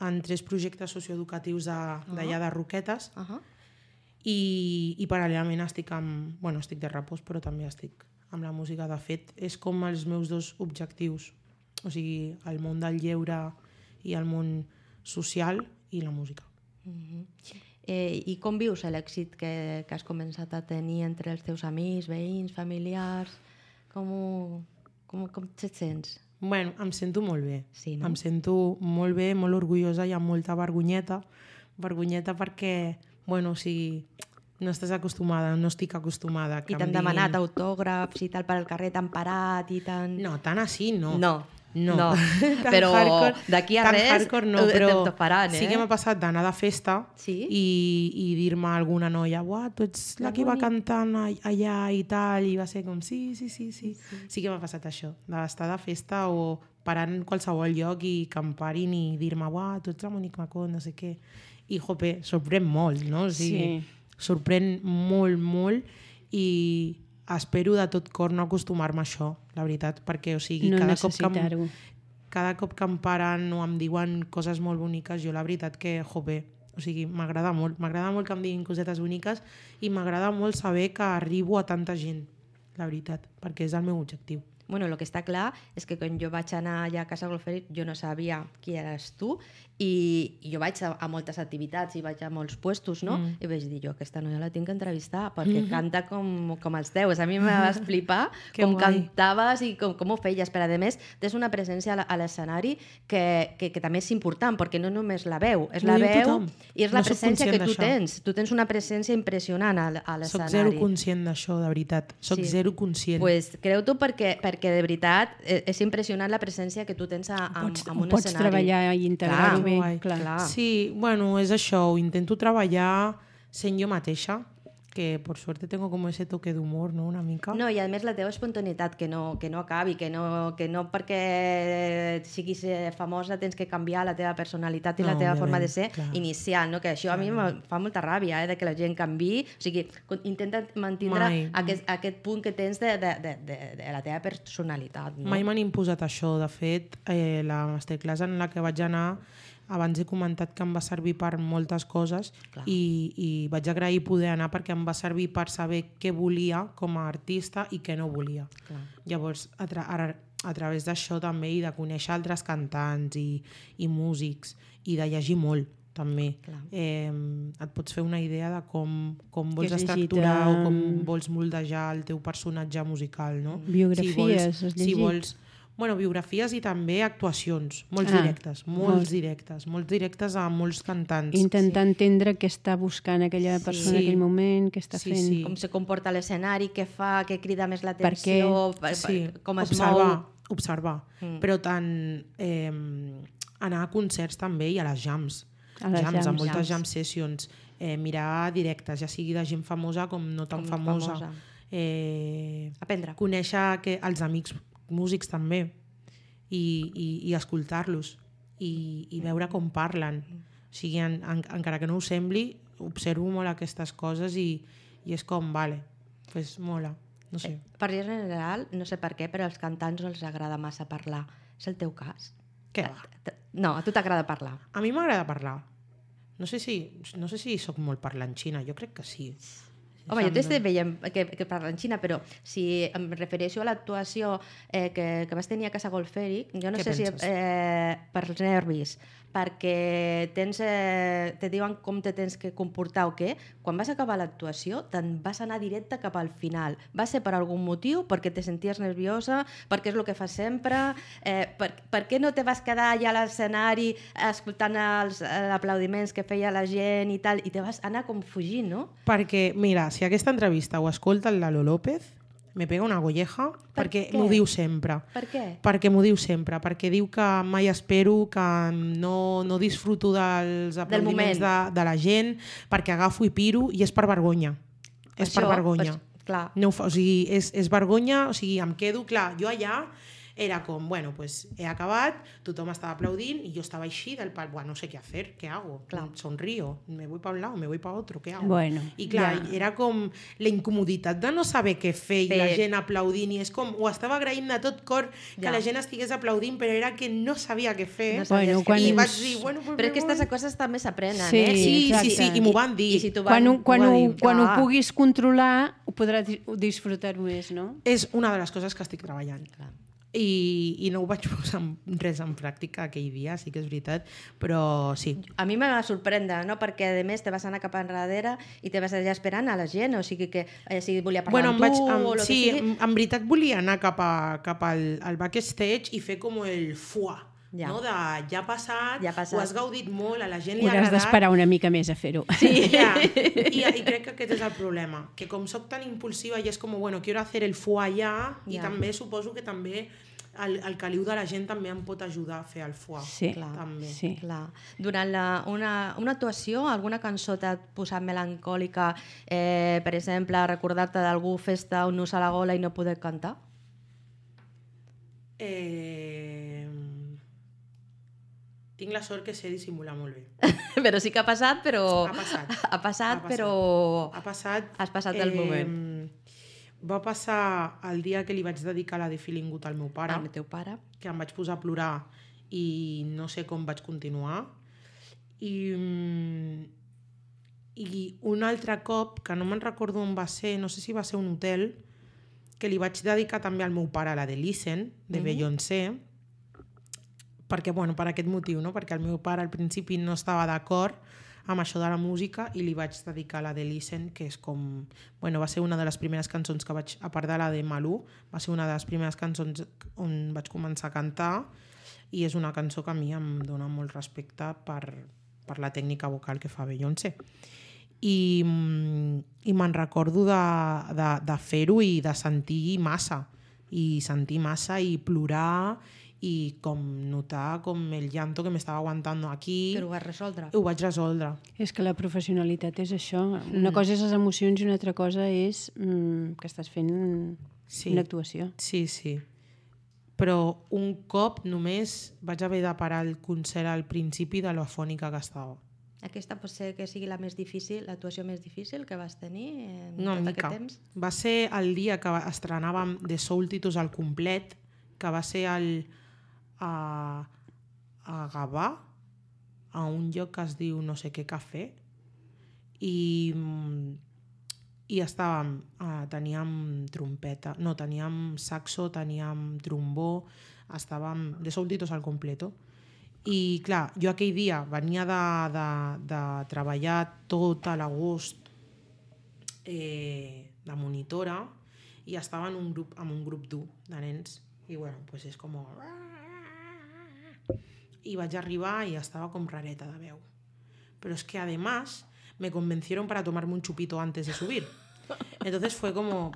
en tres projectes socioeducatius d'allà de Roquetes Uh -huh. i, i paral·lelament estic amb, bueno, estic de repòs, però també estic amb la música. De fet, és com els meus dos objectius, o sigui, el món del lleure i el món social i la música. Uh -huh. eh, I com vius l'èxit que, que has començat a tenir entre els teus amics, veïns, familiars? Com, ho, com, com et sents? Bueno, em sento molt bé. Sí, no? Em sento molt bé, molt orgullosa i amb molta vergonyeta. Vergonyeta perquè, bueno, o sigui, no estàs acostumada, no estic acostumada. Que I t'han em diguin... demanat autògrafs i tal per al carrer, t'han parat i tan... No, tan així no. No. No, no. Tan Però hardcore- d'aquí a tan res hardcore no, te- però te faran, eh? sí que m'ha passat d'anar de festa Sí? i, i dir-me a alguna noia, uah, tu ets la Que que va bonic. cantant a- allà i tal, i va ser com, sí, sí, sí, sí. Sí, sí que m'ha passat això, d'estar de festa o parar en qualsevol lloc i que em parin i dir-me, uah, tu ets la Monique Macon, no sé què. I, jope, sorprèn molt, no? O sigui, Sí. sorprèn molt, molt i espero de tot cor no acostumar-me a això, la veritat, perquè, o sigui, No cada cop que em, necessitar-ho. cada cop que em paren o em diuen coses molt boniques, jo la veritat que, jope, o sigui, m'agrada molt, m'agrada molt que em diguin cosetes boniques i m'agrada molt saber que arribo a tanta gent, la veritat, perquè és el meu objectiu. Bueno, el que està clar és que quan jo vaig anar allà a Casa Golferit jo no sabia qui eres tu i, i jo vaig a, a moltes activitats i vaig a molts puestos, no? Mm. I vaig dir jo, aquesta noia la tinc que entrevistar perquè mm. canta com, com els teus. A mi me vas flipar Que com guai. cantaves i com, com ho feies. Però a més, tens una presència a la- a l'escenari que, que, que també és important perquè no només la veu, és Ho la diu veu tothom. i és la No soc presència que conscient tu d'això. tens. Tu tens una presència impressionant a, a Soc l'escenari. zero conscient d'això, de veritat. Soc Sí. zero conscient. Pues, creu-t'ho perquè, perquè de veritat eh, és impressionant la presència que tu tens a, a, Pots, a ho un pots escenari. treballar i integrar-ho Clar, bé. guai. Clar. Clar. Sí, bueno, és això, ho intento treballar sent jo mateixa, que por suerte tengo como ese toque d'humor, no?, una mica. No, i a més la teva espontaneïtat, que no, que no acabi, que no, que no perquè siguis eh, famosa tens que canviar la teva personalitat i No, la teva forma de òbviament, ser clar. inicial, no? Que això a mi em fa molta ràbia, eh, de que la gent canvi. O sigui, con- intenta mantindre Mai. aquest, aquest punt que tens de, de, de, de, de la teva personalitat. No? Mai m'han imposat això. De fet, eh, la masterclass en la que vaig anar, abans he comentat que em va servir per moltes coses i, i vaig agrair poder anar perquè em va servir per saber què volia com a artista i què no volia. Clar. Llavors, a, tra a, a través d'això també i de conèixer altres cantants i, i músics i de llegir molt també. Clar. Eh, et pots fer una idea de com, com vols has llegit, estructurar eh, o com vols moldejar el teu personatge musical, no? Biografies, si vols, has si llegit? vols, bueno, biografies i també actuacions, molts Ah, directes, molts molts. directes, molts directes a molts cantants. Intentar sí. entendre què està buscant aquella persona Sí. en aquell moment, què està Sí, fent. sí. Com se comporta a l'escenari, què fa, què crida més què? l'atenció, per, per, Sí, com es observar, mou. observar. Mm. Però tant eh, anar a concerts també i a les jams. A les jams, a jams. moltes Jams. jam sessions. Eh, mirar directes, ja sigui de gent famosa com no tan Com famosa. famosa. Eh, Aprendre. conèixer que els amics músics també i, i, i escoltar-los i, i veure com parlen. O sigui, en, en, encara que no ho sembli, observo molt aquestes coses i, i és com, vale, pues mola, no sé. Per general, no sé per què, però als cantants no els agrada massa parlar. És el teu cas? Què va? No, a tu t'agrada parlar. A mi m'agrada parlar. No sé si, no sé si sóc molt parlanxina, jo crec que sí. Home, jo t'estic veient que, que parla en Xina, però si em refereixo a l'actuació eh, que, que vas tenir a Casa Golfèric, jo no Què sé penses? si eh, per els nervis, perquè tens, eh, te diuen com te tens que comportar o què, quan vas acabar l'actuació te'n vas anar directe cap al final. Va ser per algun motiu? Perquè te senties nerviosa? Perquè és el que fas sempre? Eh, per, per què no te vas quedar allà a l'escenari escoltant els eh, aplaudiments que feia la gent i tal, i te vas anar com fugint, no? Perquè, mira, si aquesta entrevista ho escolta el Lalo López, me pega una golleja, Per perquè què? m'ho diu sempre. Per què? Perquè m'ho diu sempre, perquè diu que mai espero, que no, no disfruto dels aplaudiments de, de la gent, perquè agafo i piro, i és per vergonya. És Això, per vergonya. pues, clar. No ho fa, o sigui, és, és vergonya, o sigui, em quedo, clar, jo allà era com, bueno, pues he acabat, tothom estava aplaudint y yo estaba així del pal, bueno, no sé qué hacer, ¿qué hago? Clar. Sonrío, me voy para un lado, me voy para otro, ¿qué hago? Bueno, I clar, ja. era com la incomoditat de no saber què fer i Fer. la gent aplaudint, i és com, ho estava agraint de tot cor que Ja. la gent estigués aplaudint, però era que no sabia què fer. No sabies Bueno, què quan I ens- vaig dir, bueno, pues Però me aquestes voy. coses també s'aprenen, Sí, eh? Sí, sí, exacte. sí, i m'ho van dir. I si tu Quan, ho, van, quan, ho ho, van dir, quan ho clar. puguis controlar, ho podràs di- disfrutar més, no? És una de les coses que estic treballant. Clar. I, i no ho vaig posar en, res en pràctica aquell dia, sí que és veritat, però sí. A mi me va sorprendre, no? Perquè a més te vas anar cap enrere i te vas allà esperant a la gent, o sigui que eh, si volia parlar Bueno, amb em tu vaig, em, o el sí, que sigui. en, en veritat volia anar cap, a, cap al, al backstage i fer com el fuà, Ja. no? De ja ha passat, Ja ha passat. ho has gaudit molt, a la gent li ha Hauràs agradat. d'esperar una mica més a fer-ho. Sí. Ja. I, I crec que aquest és el problema, que com sóc tan impulsiva i és com, bueno, quiero hacer el fuà ja, i Ja. també suposo que també el, el caliu de la gent també em pot ajudar a fer el fuà. Sí, Clar. També. sí. Clar. Durant la, una, una actuació, alguna cançó t'ha posat melancòlica, eh, per exemple, recordar-te d'algú festa un nus a la gola i no poder cantar? Eh... Tinc la sort que sé dissimular molt bé. Però sí que ha passat, però... Ha passat. Ha passat, Ha passat. però... Ha passat... Has passat el moment. Va passar el dia que li vaig dedicar la de Feeling Good al meu pare, Amb el teu pare. que em vaig posar a plorar i no sé com vaig continuar. I, mm, i un altre cop, que no me'n recordo on va ser, no sé si va ser un hotel, que li vaig dedicar també al meu pare la de Listen, de Mhm. Beyoncé, perquè, bueno, per aquest motiu, no? Perquè el meu pare al principi no estava d'acord amb això de la música i li vaig dedicar la de Listen, que és com... Bueno, va ser una de les primeres cançons que vaig... A part de la de Malú, va ser una de les primeres cançons on vaig començar a cantar i és una cançó que a mi em dona molt respecte per, per la tècnica vocal que fa Beyoncé. I, mm, i me'n recordo de, de, de fer-ho i de sentir massa. I sentir massa i plorar i com notar com el llanto que m'estava aguantant aquí. Però ho vas resoldre. Ho vaig resoldre. És que la professionalitat és això. Una cosa és les emocions i una altra cosa és mm, que estàs fent Sí. una actuació. Sí, sí. Però un cop només vaig haver de parar el concert al principi de l'afònica que estava. Aquesta pot ser que sigui la més difícil, l'actuació més difícil que vas tenir en Una tot mica. aquest temps? Va ser el dia que estrenàvem The Soul Titus al complet, que va ser el, a, a Gavà, a un lloc que es diu no sé què cafè, i, i estàvem, uh, teníem trompeta, no, teníem saxo, teníem trombó, estàvem The Soul Titus al completo. I clar, jo aquell dia venia de, de, de treballar tot a l'agost eh, de monitora i estava en un grup, amb un grup dur de nens i bueno, pues és com... I vaig arribar i estava com rareta de veu. Pero es que además me convencieron para tomarme un chupito antes de subir. Entonces fue como...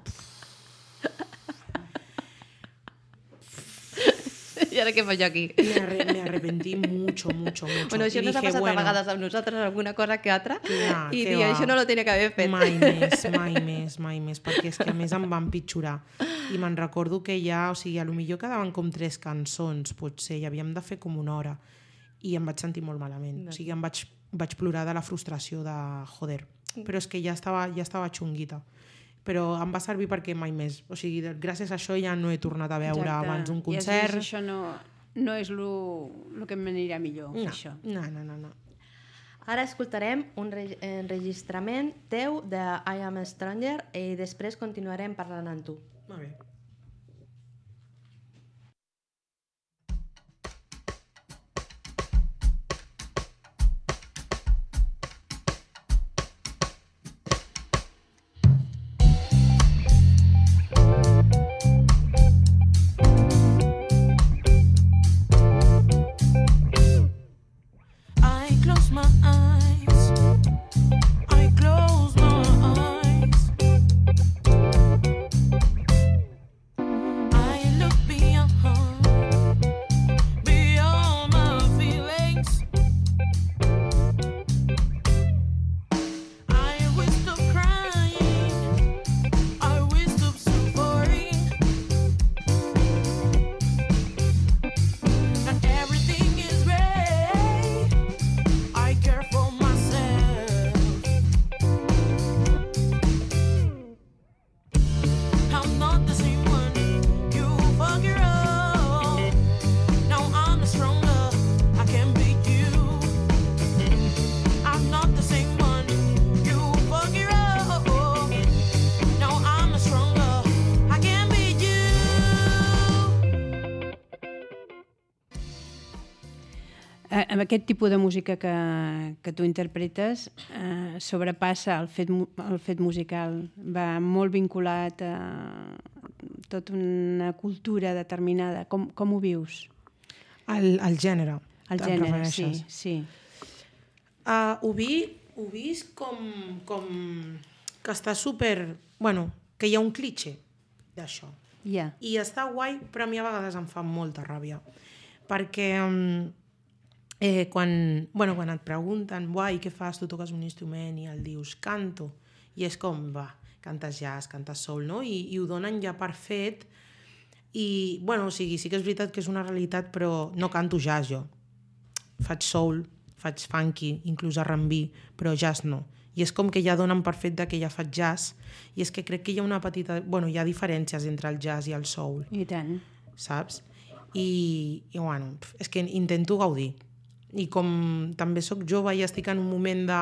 I ara què faig jo aquí? Me, arre me arrepentí mucho, mucho, mucho. Bueno, això I nos ha dije, passat bueno, a vegades amb nosaltres, alguna cosa que altra, Clar, i què dir, va. això no lo tenia que haver fet. Mai més, mai més, mai més, perquè és que a més em va empitjorar. I me'n recordo que ja, o sigui, a lo millor quedaven com tres cançons, potser, i havíem de fer com una hora. I em vaig sentir molt malament. O sigui, em vaig, vaig plorar de la frustració de, joder, però és que ja estava, ja estava xunguita. Però em va servir perquè mai més. O sigui, gràcies a això ja no he tornat a veure Exacte. abans un I has concert. vist, això no, no és el que m'anirà millor, fer No, això. no, no, no, no. Ara escoltarem un enregistrament teu de I Am a Stranger i després continuarem parlant amb tu. Molt bé. Amb aquest tipus de música que, que tu interpretes eh, sobrepassa el fet, el fet musical, va molt vinculat a tota una cultura determinada. Com, com ho vius? El, el gènere. El gènere, sí. sí. Uh, ho, vi, ho vist com, com que està super... Bueno, que hi ha un cliché d'això. Yeah. I està guai, però a mi a vegades em fa molta ràbia. Perquè... Um, Eh, quan, bueno, quan et pregunten guai, què fas? Tu toques un instrument i el dius canto, i és com, va, cantes jazz, cantes soul, no? I, i ho donen ja per fet i, bueno, o sigui, sí que és veritat que és una realitat, però no canto jazz jo. Faig soul, faig funky, inclús R and B, però jazz no. I és com que ja donen per fet que ja faig jazz, i és que crec que hi ha una petita... Bueno, hi ha diferències entre el jazz i el soul. I tant. Saps? I, i bueno, és que intento gaudir. I com també sóc jove i estic en un moment de...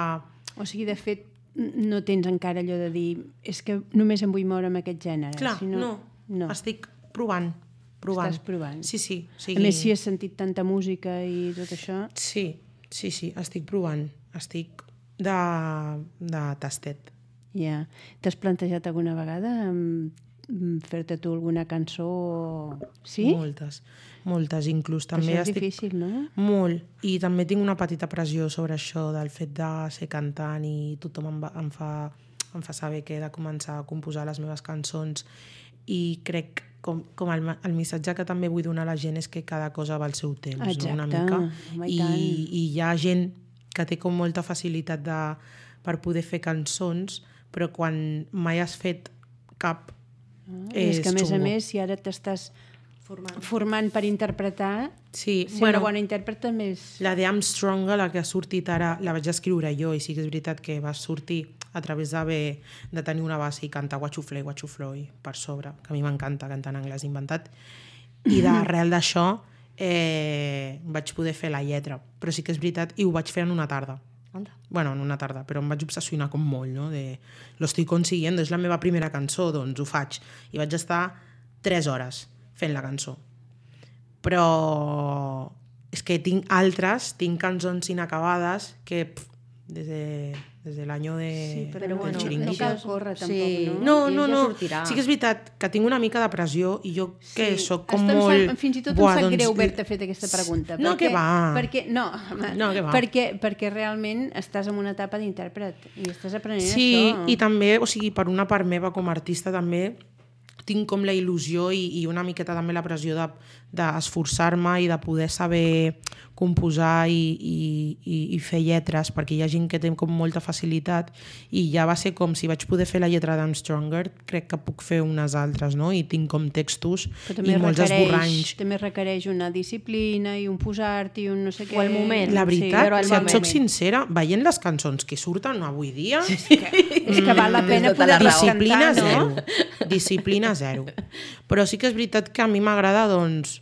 O sigui, de fet, no tens encara allò de dir és que només em vull moure amb aquest gènere. Clar, si no, no. no. Estic provant. provant. Estàs provant. Sí, sí. O sigui... A més, si has sentit tanta música i tot això... Sí, sí, sí, estic provant. Estic de, de tastet. Ja. Yeah. T'has plantejat alguna vegada fer-te tu alguna cançó? Sí? Moltes. Moltes, inclús també això és estic... difícil, no? Molt, i també tinc una petita pressió sobre això del fet de ser cantant i tothom em, va, em, fa, em fa saber que he de començar a composar les meves cançons i crec com, com el, el missatge que també vull donar a la gent és que cada cosa va al seu temps. Exacte. No? Una mica. Home, i, I, i hi ha gent que té com molta facilitat de, per poder fer cançons, però quan mai has fet cap ah, és, és que a més xungo. a més si ara t'estàs formant. formant per interpretar, sí, ser bueno, una bona intèrpret també és... La de I'm Stronger, la que ha sortit ara, la vaig escriure jo i sí que és veritat que va sortir a través de, de tenir una base i cantar What You Flay, What You Floy per sobre, que a mi m'encanta cantar en anglès inventat, i d'arrel d'això eh, vaig poder fer la lletra, però sí que és veritat, i ho vaig fer en una tarda. Anda. Bueno, en una tarda, però em vaig obsessionar com molt, no? De, lo estoy consiguiendo, és la meva primera cançó, doncs ho faig. I vaig estar tres hores fent la cançó. Però és que tinc altres, tinc cançons inacabades que pff, des de, des de l'any de, sí, però del bueno, xiringuito. no cal córrer tampoc, sí. no? No, no, I ja no. sortirà. Sí que és veritat que tinc una mica de pressió i jo que Sí. sóc com Estem molt... Sap, fins i tot Buah, em sap doncs... greu haver-te fet aquesta pregunta. No, perquè, que va. Perquè, no, home, No, que va. perquè, perquè realment estàs en una etapa d'intèrpret i estàs aprenent Sí, això. i també, o sigui, per una part meva com a artista també tinc com la il·lusió i, i una miqueta també la pressió de, d'esforçar-me i de poder saber composar i, i, i, i fer lletres, perquè hi ha gent que té com molta facilitat i ja va ser com si vaig poder fer la lletra d'Am Stronger, crec que puc fer unes altres, no? I tinc com textos i molts esborranys. També requereix una disciplina i un posar-t'hi i un no sé què. O el moment. La veritat, Sí, si et moment. soc sincera, veient les cançons que surten avui dia, És que, és que val la pena tota poder la raó. disciplina cantar, no? zero. Disciplina zero. Però sí que és veritat que a mi m'agrada, doncs,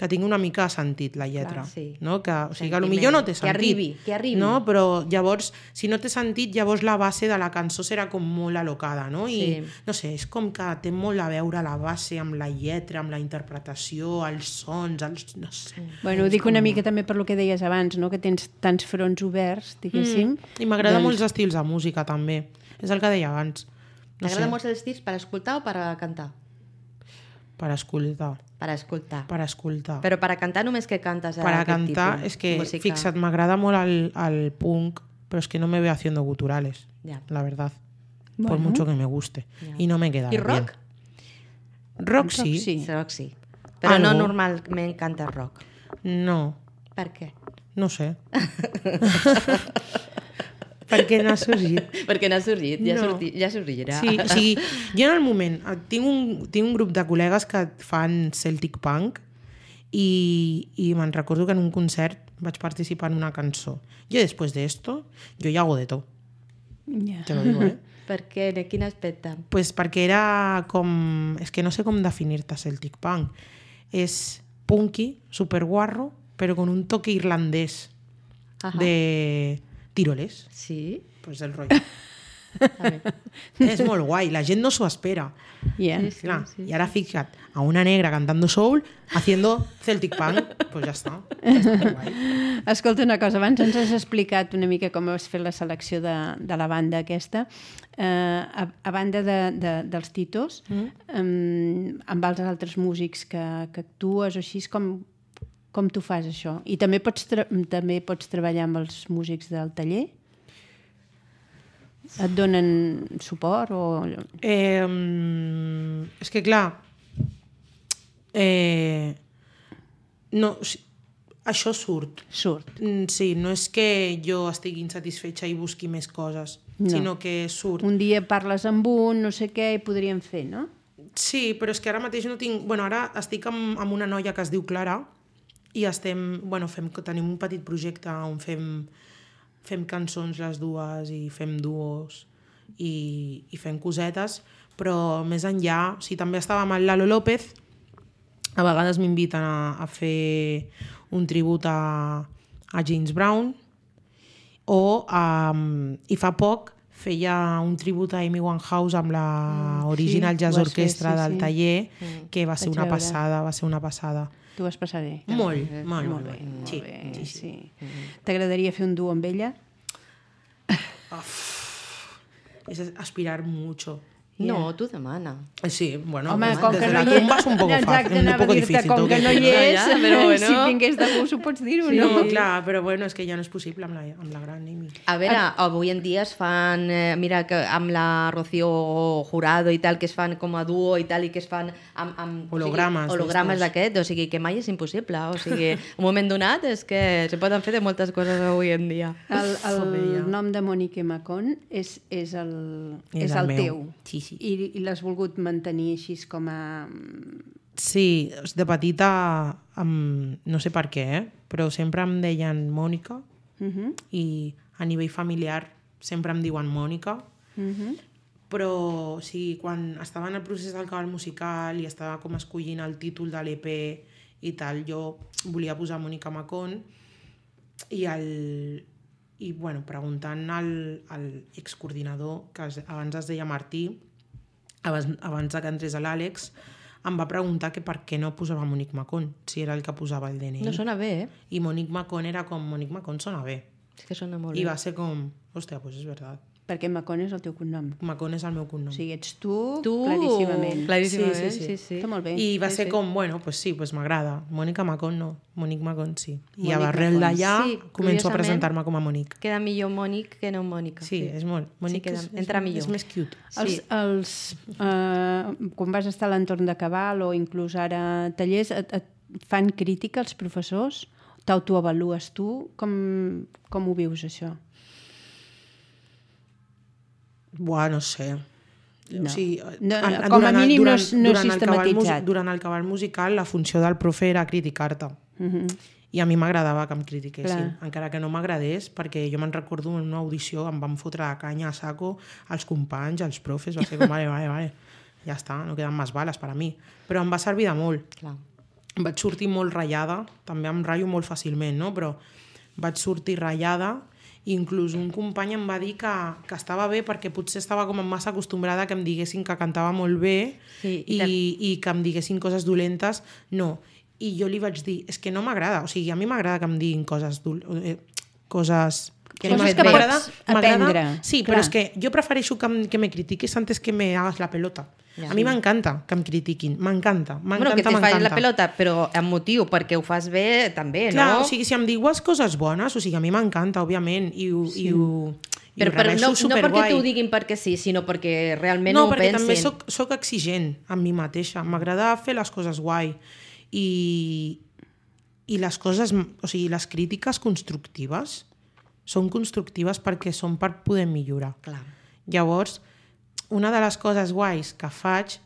que tingui una mica de sentit la lletra. Clar, sí. No? Que, o sigui, que Sentiment. potser no té sentit. Que arribi, que arribi. No? Però llavors, si no té sentit, llavors la base de la cançó serà com molt alocada, no? I, Sí. no sé, és com que té molt a veure la base amb la lletra, amb la interpretació, els sons, els... no sé. Bueno, ho dic una mica també per lo que deies abans, no? Que tens tants fronts oberts, diguéssim. Mm. I m'agrada doncs... molts estils de música, també. És el que deia abans. No T'agrada sé, molt els estils per escoltar o per a cantar? per escoltar. Per a escoltar. Per escoltar. Però per a cantar només que cantes Per a aquest cantar, tipus? és que, Música. fixa't, m'agrada molt el, el punk, però es que no me veo haciendo guturales, Ja. la verdad. Bueno. Por mucho que me guste. Ja. Y no me queda I bien. rock? Rock sí. Rock sí. Rock sí. Però Algo. no normalment cantes rock. No, Per què? no sé. Perquè no ha sorgit. Perquè n'ha sorgit, ja, No. sorti, ja sorgirà. Sí, o sigui, jo en el moment eh, tinc un, tinc un grup de col·legues que fan Celtic Punk i, i me'n recordo que en un concert vaig participar en una cançó. Jo després d'esto, jo ja hago de tot, Ja. te lo digo, eh? Per què? En quin aspecte? Pues perquè era com... És que no sé com definir-te Celtic Punk. És punky, superguarro, però con un toque irlandès Ajá. de tiroles. Sí? Pues el rotllo. A ver. És molt guai, la gent no s'ho espera. Yeah. Sí, sí. Clar, i ara fixa't, a una negra cantando soul haciendo Celtic Punk, pues ja està. Ja està molt guai. Escolta una cosa, abans ens has explicat una mica com has fet la selecció de, de la banda aquesta. Eh, a, a banda de, de, dels Titos, mm. um, amb els altres músics que, que actues o així, com, com tu fas això? I també pots, tra també pots treballar amb els músics del taller? Et donen suport? O... Eh, mm, és que clar, eh, no, o sigui, això surt. Surt. Mm, Sí, no és que jo estigui insatisfetxa i busqui més coses, No. sinó que surt. Un dia parles amb un, no sé què, i podríem fer, no? Sí, però és que ara mateix no tinc... Bueno, ara estic amb, amb una noia que es diu Clara i estem... Bueno, fem, tenim un petit projecte on fem, fem cançons les dues i fem duos i, i fem cosetes, però més enllà... O sigui, també estava amb el Lalo López, a vegades m'inviten a, a fer un tribut a, a James Brown, o um, i fa poc feia un tribut a Amy Winehouse amb la mm, Original sí, Jazz ho vas fer, Orchestra sí, del sí. taller, Mm. que va ser Vaig una veure. passada, va ser una passada. Tu vas passar bé. Molt, bé, molt, Molt molt bé, bé. molt Sí, bé, sí, sí. sí. T'agradaria fer un duo amb ella? Es aspirar mucho. No, tu demana. Sí, bueno, Home, pues, com desde que la no hi tumba es un poco Exacte, fácil, un anava a poco dir-te, difícil. com tengo que no hi decir. és, Ja, però bueno. si vingués de gust ho pots dir o Sí, no? no, clar, però bueno, és que ja no és possible amb la, amb la gran Amy. A veure, avui en dia es fan, eh, mira, que amb la Rocío Jurado i tal, que es fan com a duo i tal, i que es fan amb... amb Hologrames o sigui, hologrames d'estos. d'aquest, o sigui, que mai és impossible. O sigui, un moment donat és que se poden fer de moltes coses avui en dia. El, Joder, ja. el nom de Monique Macon és, és el, és És el, el meu. teu. Sí, sí. I, i l'has volgut mantenir així com a... Sí, de petita, um, no sé per què, eh? però sempre em deien Mònica, Uh -huh, i a nivell familiar sempre em diuen Mònica, uh -huh. però o sigui, quan estava en el procés del cabal musical i estava com escollint el títol de l'E P i tal, jo volia posar Mònica Macon i, el, i bueno, preguntant al, al excoordinador, que es, abans es deia Martí, abans, abans de que entrés a l'Àlex, em va preguntar que per què no posava Monique Macon, si era el que posava el D N I. No sona bé, eh? I Monique Macon era com, Monique Macon sona bé. És que sona molt I bé. va ser com, hòstia, pues és veritat. Perquè Macon és el teu cognom. Macon és el meu cognom. O sigui, ets tu, Tu, claríssimament. claríssimament, Sí, sí, sí, sí. sí. sí. Està molt bé. I va Sí, ser sí. com, bueno, pues sí, pues m'agrada. Mònica Macon no, Monique Macon sí. I Monique a arrel Macon. d'allà Sí, començo a curiosament. presentar-me com a Monique. Queda millor Mònic que no Mònica. Sí, és molt. Monique queda- és, entra és, millor. és més cute. Els, Sí. els, uh, quan vas estar a l'entorn de Cabal o inclús ara a tallers, et, et fan crítica els professors? T'autoavalues tu? Com, com ho vius, això? Buah, no sé. No. O sigui, No, en- no, com a durant el- mínim no durant- és- no és durant el cabal sistematitzat. musi- Durant el cabal musical, la funció del profe era criticar-te. Uh -huh. I a mi m'agradava que em critiquessin, Clar. encara que no m'agradés, perquè jo me'n recordo en una audició em van fotre la canya a saco als companys, als profes, va ser com, vale, vale, vale, ja està, no queden més bales per a mi. Però em va servir de molt. Clar. vaig sortir molt ratllada, també em ratllo molt fàcilment, no? Però vaig sortir ratllada, inclús un company em va dir que, que estava bé perquè potser estava com massa acostumbrada que em diguessin que cantava molt bé Sí, i, i i que em diguessin coses dolentes. No. I jo li vaig dir, és que no m'agrada, o sigui, a mi m'agrada que em diguin coses... Dol eh, coses... Que no Coses fet que bé. pots aprendre. Sí, clar. però és que jo prefereixo que, em- que me critiquis antes que me hagas la pelota. Ja. A mi m'encanta que em critiquin, m'encanta, Bueno, m'encanta, que te faci m'encanta. la pelota, però amb motiu, perquè ho fas bé també, Clar, no? o sigui, si em digues coses bones, o sigui, a mi m'encanta, òbviament, i ho, sí. i ho, i però, ho però rebeixo no, no perquè superguai. t'ho diguin perquè sí, sinó perquè realment No, ho perquè pensin. també soc, soc exigent amb mi mateixa. M'agrada fer les coses guai. I, i les coses, o sigui, les crítiques constructives són constructives perquè són per poder millorar. Clar. Llavors, una de les coses guais que faig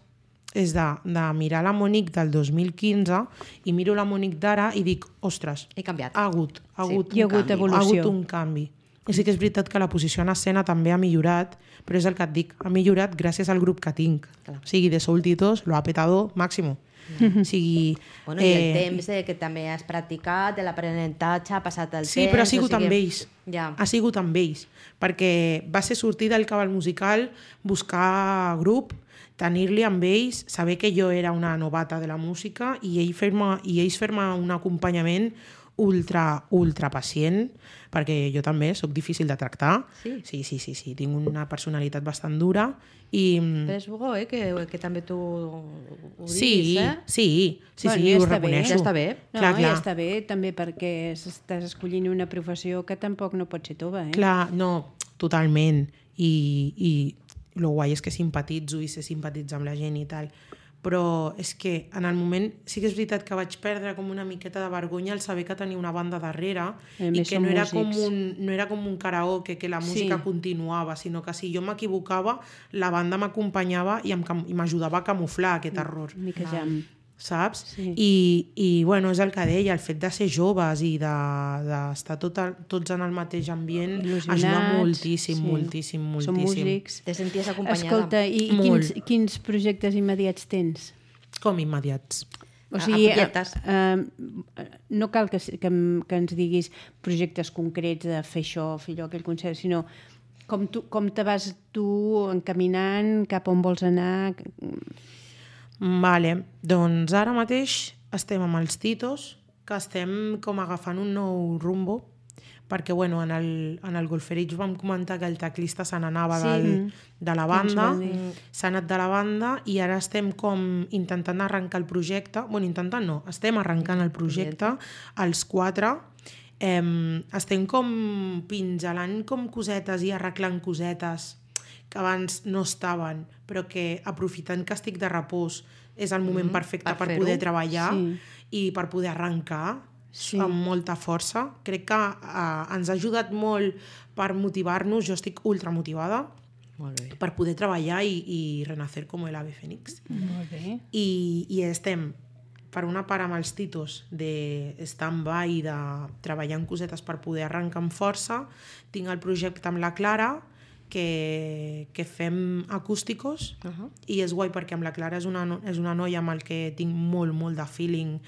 és de, de mirar la Monique del dos mil quinze i miro la Monique d'ara i dic, ostres, He canviat. ha hagut, ha Sí. hagut, Hi ha un hagut canvi, evolució. ha hagut un canvi. I sí que és veritat que la posició en escena també ha millorat, però és el que et dic, ha millorat gràcies al grup que tinc. Clar. O sigui, de Soultitos lo ha petado máximo. Mm. O sigui, Bueno, i el temps eh, que també has practicat, de l'aprenentatge, ha passat el Sí, temps... però ha sigut o sigui, amb ells. Ja. Ha sigut amb ells. Perquè va ser sortir del cabal musical, buscar grup, tenir-li amb ells, saber que jo era una novata de la música i, ell fer-me, i ells fer-me un acompanyament ultra, ultra pacient, perquè jo també sóc difícil de tractar. Sí? Sí, sí, sí, sí. Tinc una personalitat bastant dura i... Però és bo, eh, que, que també tu ho diguis, Sí, eh? sí, sí, Bueno, sí, ja ho està bé. reconeixo. Ja està bé. No, Clar, ja clar. està bé també perquè estàs escollint una professió que tampoc no pot ser tova, eh? Clar, no, totalment. I, i lo guai és que simpatitzo i sé simpatitzar amb la gent i tal. Però és que en el moment sí que és veritat que vaig perdre com una miqueta de vergonya al saber que tenia una banda darrere A i més, que són no era, com músics. un, no era com un karaoke, que la música Sí. continuava, sinó que si jo m'equivocava, la banda m'acompanyava i em cam- i m'ajudava a camuflar aquest error. Una mica jam. Saps? Sí. I, I bueno, és el que deia, el fet de ser joves i d'estar de, tot el, tots en el mateix ambient Il·lusionats, ajuda moltíssim, sí. moltíssim, moltíssim. Són músics. Te senties acompanyada. Escolta, i, i Molt. quins, quins projectes immediats tens? Com immediats. O A- sigui, a punyetes. eh, eh, no cal que, que, em- que ens diguis projectes concrets de fer això, fer allò, aquell concert, sinó com, tu, com te vas tu encaminant, cap on vols anar... Vale, doncs ara mateix estem amb els Titos, que estem com agafant un nou rumbo, perquè bueno, en el, en el Golferich vam comentar que el teclista se n'anava Sí. del, de la banda, Ens va dir. s'ha anat de la banda i ara estem com intentant arrencar el projecte, bueno, intentant no, estem arrencant el projecte, els quatre, eh, estem com pingelant com cosetes i arreglant cosetes que abans no estaven, però que aprofitant que estic de repòs és el moment perfecte per per, fer-ho. poder treballar Sí. i per poder arrencar Sí. amb molta força. Crec que eh, ens ha ajudat molt per motivar-nos, jo estic ultra motivada Molt bé. per poder treballar i, i renacer com el ave fénix. Molt bé. I, i estem per una part amb els Titos de stand-by, de treballar en cosetes per poder arrencar amb força. Tinc el projecte amb la Clara, que, que fem acústicos, Uh -huh. i és guai perquè amb la Clara és una, no- és una noia amb el que tinc molt, molt de feeling,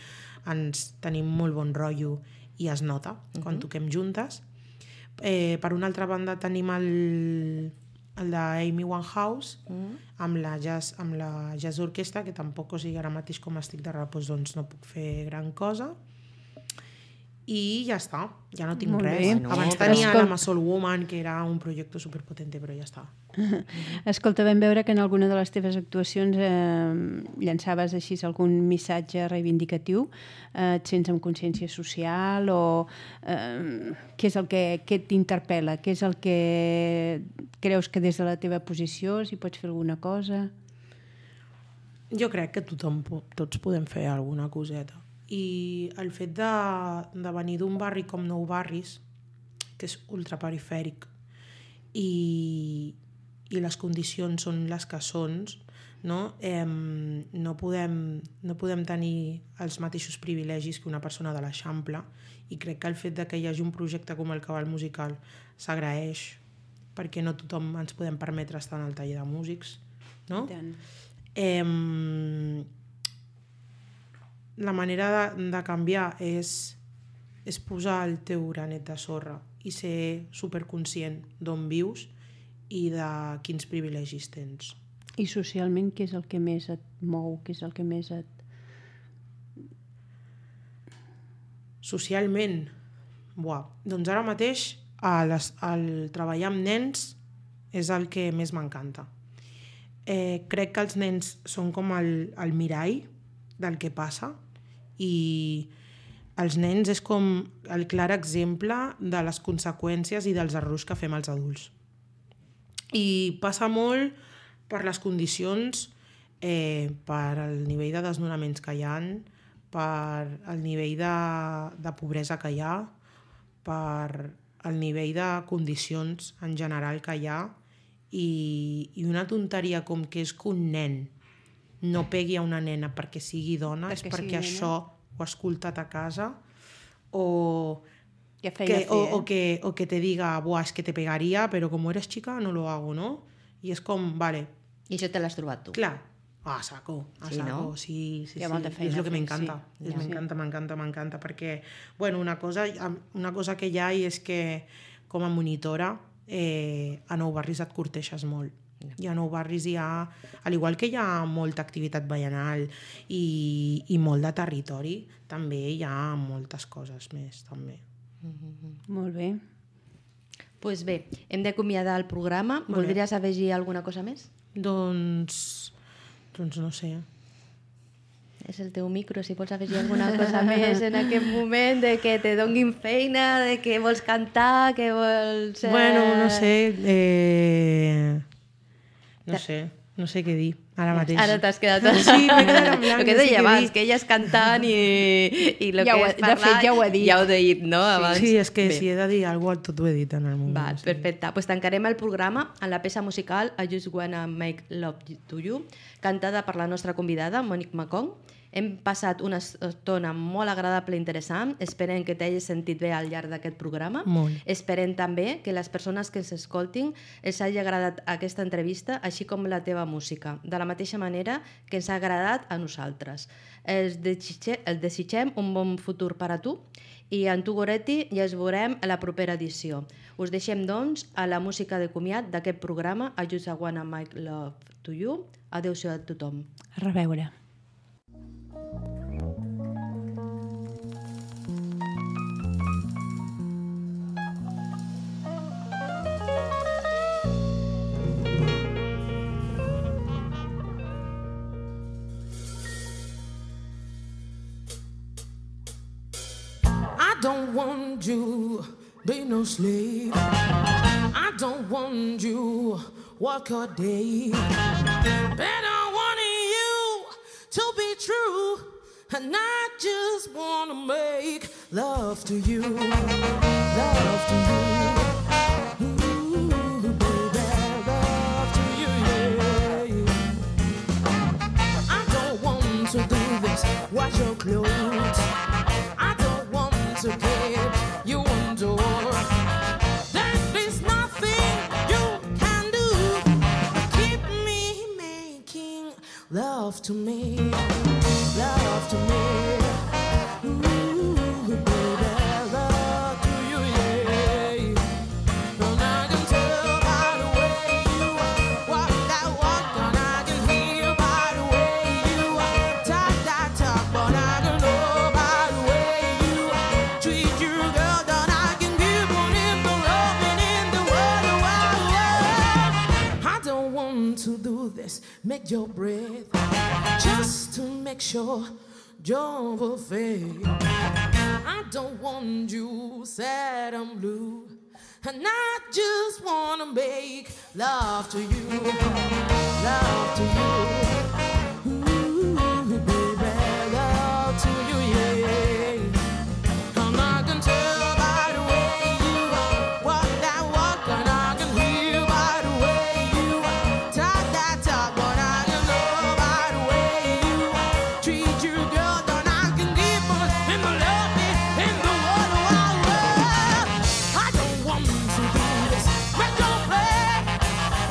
ens tenim molt bon rotllo i es nota quan toquem juntes. Eh, per una altra banda tenim el, el d'Amy Winehouse, Mm. amb la jazz, amb la jazz orquestra, que tampoc, o sigui, ara mateix com estic de repòs, doncs no puc fer gran cosa. I ja està, ja no tinc Molt res. bé. Bueno, Abans però tenia escolta- la Soul Woman, que era un projecte superpotente, però ja està. Escolta, vam veure que en alguna de les teves actuacions eh, llançaves així algun missatge reivindicatiu. Eh, et sents amb consciència social o eh, què és el que, què t'interpel·la? Què és el que creus que des de la teva posició si pots fer alguna cosa? Jo crec que tothom, po- tots podem fer alguna coseta. I el fet de, de venir d'un barri com Nou Barris, que és ultraperifèric, i, i les condicions són les que són, no? Eh, no, podem, no podem tenir els mateixos privilegis que una persona de l'Eixample, i crec que el fet de que hi hagi un projecte com el Cabal Musical s'agraeix, perquè no tothom ens podem permetre estar en el taller de músics, no? I tant. Eh, la manera de, de canviar és, és posar el teu granet de sorra i ser superconscient d'on vius i de quins privilegis tens. I socialment, què és el que més et mou? Què és el que més et... Socialment, buah, doncs ara mateix el, el treballar amb nens és el que més m'encanta. Eh, crec que els nens són com el, el mirall del que passa i els nens és com el clar exemple de les conseqüències i dels errors que fem els adults. I passa molt per les condicions, eh, per el nivell de desnonaments que hi ha, per el nivell de, de pobresa que hi ha, per el nivell de condicions en general que hi ha i, i una tonteria com que és que un nen no pegui a una nena perquè sigui dona, perquè és perquè això ho ha escoltat a casa o que, que, o, o, que, o que te diga, buah, es que te pegaría, pero como eres chica no lo hago, ¿no? I és com, vale. I això te l'has trobat tu. Clar. A saco, a sí, saco, no? sí, sí, sí. És el que m'encanta, sí. m'encanta, m'encanta, m'encanta, perquè, bueno, una cosa, una cosa que hi ha és que com a monitora eh, a Nou Barris et corteixes molt. No. I a Nou Barris hi ha, al igual que hi ha molta activitat veïnal i, i molt de territori, també hi ha moltes coses més, també. Mm-hmm. Molt bé. Doncs pues bé, hem d'acomiadar el programa. Molt Voldries bé. afegir alguna cosa més? Doncs... Doncs no sé. És el teu micro, si vols afegir alguna cosa més en aquest moment, de que te donguin feina, de que vols cantar, que vols... Eh... Bueno, no sé... Eh... No sé, no sé què dir, ara mateix. Ara t'has quedat... Sí, m'he quedat en blanc. El que deia abans, que elles cantant i, i el ja que ho, és parlar... De fet, ja ho he dit. Ja ho he dit, no? Abans. Sí, és que bé. Si he de dir alguna cosa, tot ho he dit en el moment. Val, sí. Perfecte. Pues tancarem el programa amb la peça musical I Just Wanna Make Love to You, cantada per la nostra convidada, Monique Macon. Hem passat una estona molt agradable i interessant. Esperem que t'hagis sentit bé al llarg d'aquest programa. Molt. Esperem també que les persones que ens escoltin els hagi agradat aquesta entrevista, així com la teva música, de la mateixa manera que ens ha agradat a nosaltres. Els desitgem, el desitgem un bon futur per a tu i en tu, Goretti, ja ens veurem a la propera edició. Us deixem, doncs, a la música de comiat d'aquest programa, I Just Wanna Make Love to You. Adéu-siau a tothom. A reveure. I don't want you be no slave. I don't want you work a day. But I want you to be true, and I just wanna make love to you, love to you. Ooh, baby, love to you, yeah. I don't want to do this, wash your clothes. To get you one door. There is nothing you can do to keep me making love to me, love to me. Ooh, baby, love to you, yeah. And I can tell by the way you walk that walk, and I can hear by the way you talk that talk, but I can know by the way treat you, girl, that I can give one in the loving in the world. I don't want to do this, make your breath, just to make sure you're perfect. I don't want you sad and blue, and I just wanna make love to you, love to you. Ooh, baby, love to you, yeah.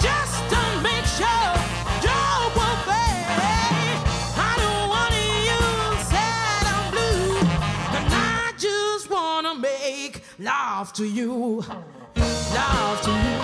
Just to make sure you're perfect. love to you, love to you.